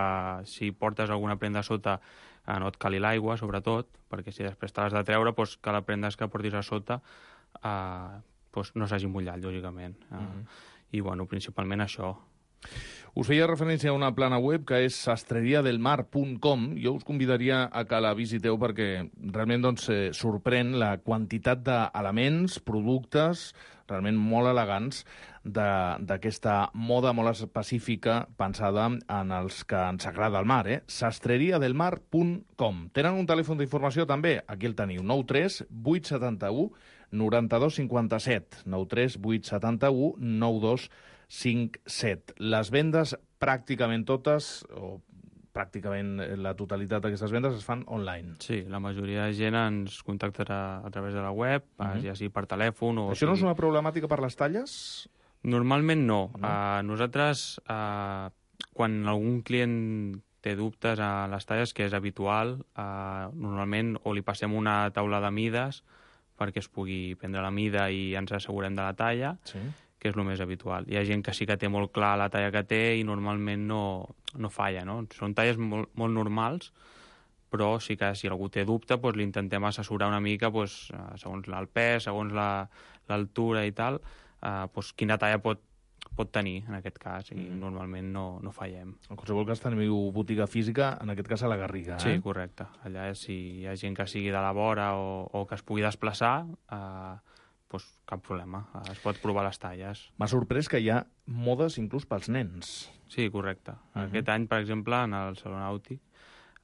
si portes alguna prenda sota eh, no et cali l'aigua, sobretot, perquè si després te l'has de treure, doncs, que la prendes que portis a sota eh, doncs, no s'hagi mullat, lògicament. Eh, mm-hmm. I, bueno, principalment això. Us feia referència a una plana web que és sastreria del mar punt com. Jo us convidaria a que la visiteu perquè realment doncs, eh, sorprèn la quantitat d'elements, productes realment molt elegants d'aquesta moda molt específica pensada en els que ens agrada el mar. Eh? sastreria del mar punt com. Tenen un telèfon d'informació també, aquí el teniu, nou tres vuit set u nou dos cinc set, nou tres vuit set u nou dos cinc set. Les vendes pràcticament totes, o pràcticament la totalitat d'aquestes vendes es fan online. Sí, la majoria de gent ens contactarà a través de la web, uh-huh. ja sigui per telèfon o... Això no és una problemàtica per les talles? Normalment no. no. Uh, nosaltres, uh, quan algun client té dubtes a les talles, que és habitual, uh, normalment o li passem una taula de mides perquè es pugui prendre la mida i ens assegurem de la talla, sí. que és el més habitual. Hi ha gent que sí que té molt clar la talla que té i normalment no, no falla, no? Són talles molt, molt normals, però sí que si algú té dubte, doncs l'intentem assessorar una mica, doncs, segons el pes, segons l'altura i tal, eh, doncs quina talla pot, pot tenir en aquest cas, i mm. normalment no, no fallem. En qualsevol cas teniu botiga física, en aquest cas a la Garriga, eh? Sí, correcte. Allà si hi ha gent que sigui de la vora o, o que es pugui desplaçar, eh, pues cap problema, es pot provar les talles. M'ha sorprès que hi ha modes inclús pels nens. Sí, correcte. Uh-huh. Aquest any, per exemple, en el Saló Nàutic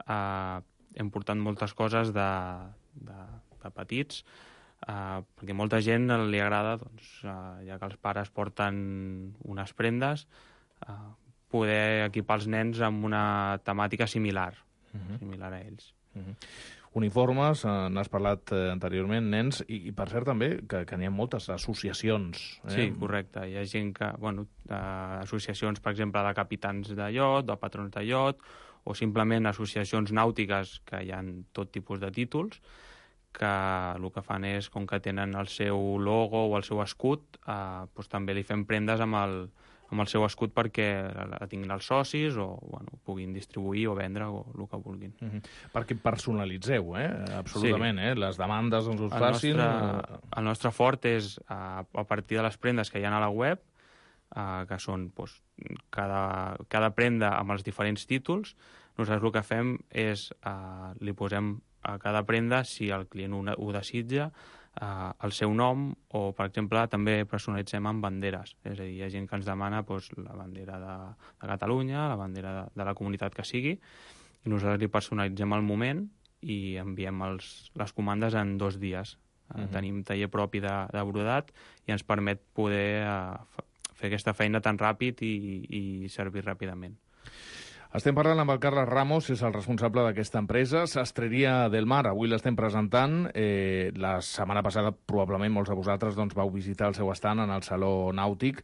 eh, hem portat moltes coses de, de, de petits, eh, perquè molta gent li agrada, doncs, eh, ja que els pares porten unes prendes, eh, poder equipar els nens amb una temàtica similar, uh-huh. similar a ells. Uh-huh. uniformes, eh, n'has parlat eh, anteriorment, nens, i, i per cert també que, que n'hi ha moltes associacions. Eh? Sí, correcte. Hi ha gent que, bueno, associacions, per exemple, de capitans de iot, de patrons de iot, o simplement associacions nàutiques que hi ha tot tipus de títols, que el que fan és, com que tenen el seu logo o el seu escut, eh, doncs també li fem prendes amb el, amb el seu escut perquè la tinguin els socis o bueno, puguin distribuir o vendre o el que vulguin. Mm-hmm. Perquè personalitzeu, eh? Absolutament, sí. eh? Les demandes ens us el facin... Nostre, el nostre fort és, a, a partir de les prendes que hi ha a la web, eh, que són doncs, cada, cada prenda amb els diferents títols, nosaltres el que fem és, eh, li posem a cada prenda, si el client ho, ho desitja, Uh, el seu nom o, per exemple, també personalitzem amb banderes. És a dir, hi ha gent que ens demana doncs, la bandera de, de Catalunya, la bandera de, de la comunitat que sigui, i nosaltres li personalitzem al moment i enviem els, les comandes en dos dies. Uh, uh-huh. Tenim taller propi de, de brodat i ens permet poder uh, fer aquesta feina tan ràpid i, i servir ràpidament. Estem parlant amb el Carles Ramos, és el responsable d'aquesta empresa, Sastreria del Mar. Avui l'estem presentant. Eh, la setmana passada, probablement, molts de vosaltres doncs, vau visitar el seu estand en el Saló Nàutic,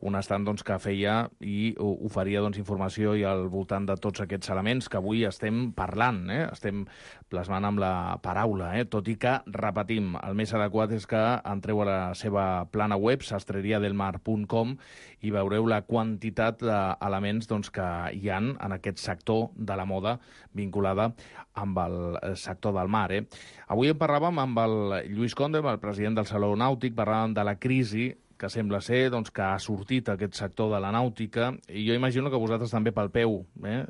un estand doncs, que feia i oferia doncs, informació i al voltant de tots aquests elements que avui estem parlant, eh? Estem plasmant amb la paraula, eh? Tot i que, repetim, el més adequat és que entreu a la seva plana web, sastreria del mar punt com, i veureu la quantitat d'elements doncs, que hi han en aquest sector de la moda vinculada amb el sector del mar. Eh? Avui en parlàvem amb el Lluís Conde, el president del Saló Nàutic, parlàvem de la crisi que sembla ser doncs, que ha sortit aquest sector de la nàutica, i jo imagino que vosaltres també palpeu eh?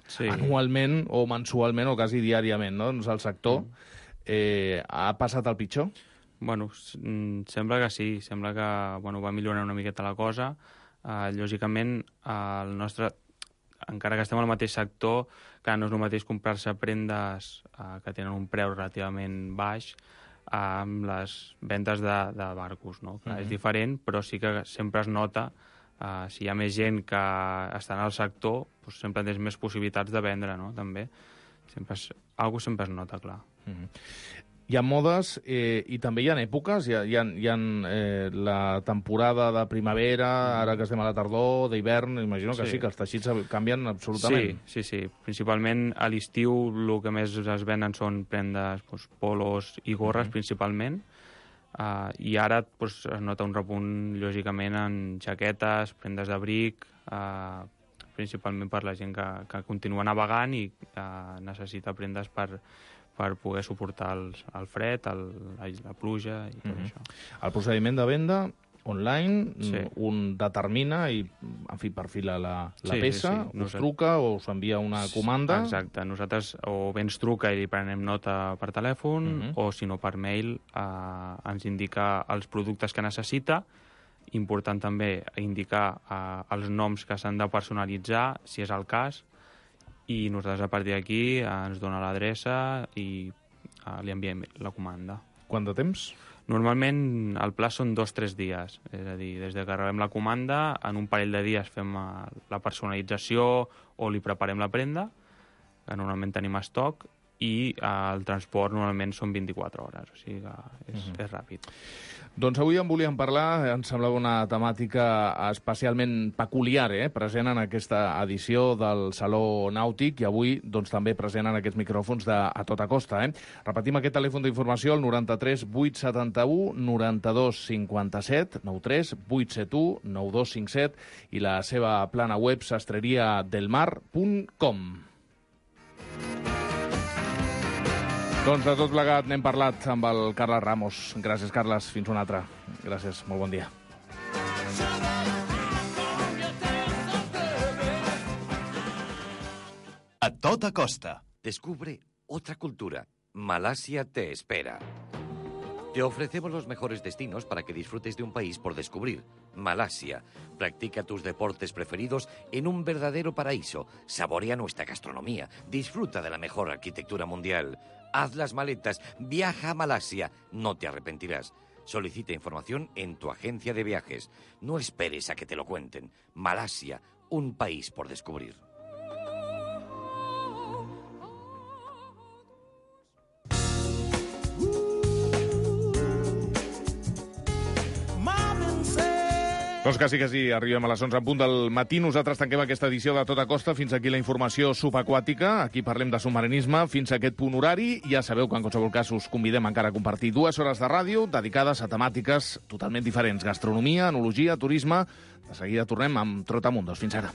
Sí. anualment o mensualment o quasi diàriament, no? Doncs el sector eh, ha passat el pitjor? Bueno, sembla que sí, sembla que bueno, va millorar una miqueta la cosa. Uh, lògicament, uh, el nostre, encara que estem al mateix sector, que no és el mateix comprar-se prendes uh, que tenen un preu relativament baix uh, amb les ventes de, de barcos, no? Que uh-huh. és diferent, però sí que sempre es nota, uh, si hi ha més gent que està en el sector, doncs sempre tens més possibilitats de vendre, no? També. Sempre es, algo sempre es nota, clar. Uh-huh. Hi ha modes eh, i també hi ha èpoques, hi ha, hi ha, hi ha eh, la temporada de primavera, ara que estem a la tardor, d'hivern, imagino que sí, sí que els teixits canvien absolutament. Sí, sí, sí. Principalment a l'estiu el que més es venen són prendes, doncs, polos i gorres, uh-huh. principalment, uh, i ara doncs, es nota un repunt, lògicament, en jaquetes, prendes d'abric, uh, principalment per la gent que, que continua navegant i uh, necessita prendes per per poder suportar el, el fred, el, la pluja i tot mm-hmm. això. El procediment de venda online, sí. un determina i, en fi, perfila la, la sí, peça, sí, sí. us Nosaltres... truca o us envia una comanda... Exacte, nosaltres o bé ens truca i li prenem nota per telèfon, mm-hmm. o si no per mail eh, ens indica els productes que necessita. Important també indicar eh, els noms que s'han de personalitzar, si és el cas, i nosaltres a partir d'aquí ens dona l'adreça i uh, li enviem la comanda. Quant de temps? Normalment el pla són dos o tres dies, és a dir, des que rebem la comanda, en un parell de dies fem uh, la personalització o li preparem la prenda, que normalment tenim estoc, i uh, el transport normalment són vint-i-quatre hores, o sigui que és, uh-huh. és ràpid. Doncs avui en volíem parlar, ens semblava una temàtica especialment peculiar, eh? present en aquesta edició del Saló Nàutic i avui doncs, també present en aquests micròfons de A Tota Costa. Eh? Repetim aquest telèfon d'informació, el noranta-tres vuit setanta-u noranta-dos cinquanta-set, noranta-tres vuit setanta-u noranta-dos cinquanta-set i la seva plana web sastreria del mar punt com. Doncs de tot plegat n'hem parlat amb el Carles Ramos. Gràcies, Carles. Fins una altra. Gràcies. Molt bon dia. A Tota Costa. Descubre otra cultura. Malasia te espera. Te ofrecemos los mejores destinos para que disfrutes de un país por descubrir. Malasia. Practica tus deportes preferidos en un verdadero paraíso. Saborea nuestra gastronomía. Disfruta de la mejor arquitectura mundial. Haz las maletas. Viaja a Malasia. No te arrepentirás. Solicita información en tu agencia de viajes. No esperes a que te lo cuenten. Malasia. Un país por descubrir. Doncs quasi, quasi arribem a les onze en punt del matí. Nosaltres tanquem aquesta edició de Tota Costa. Fins aquí la informació subaquàtica. Aquí parlem de submarinisme fins a aquest punt horari. Ja sabeu que en qualsevol cas us convidem encara a compartir dues hores de ràdio dedicades a temàtiques totalment diferents. Gastronomia, enologia, turisme. De seguida tornem amb Trotamundos. Fins ara.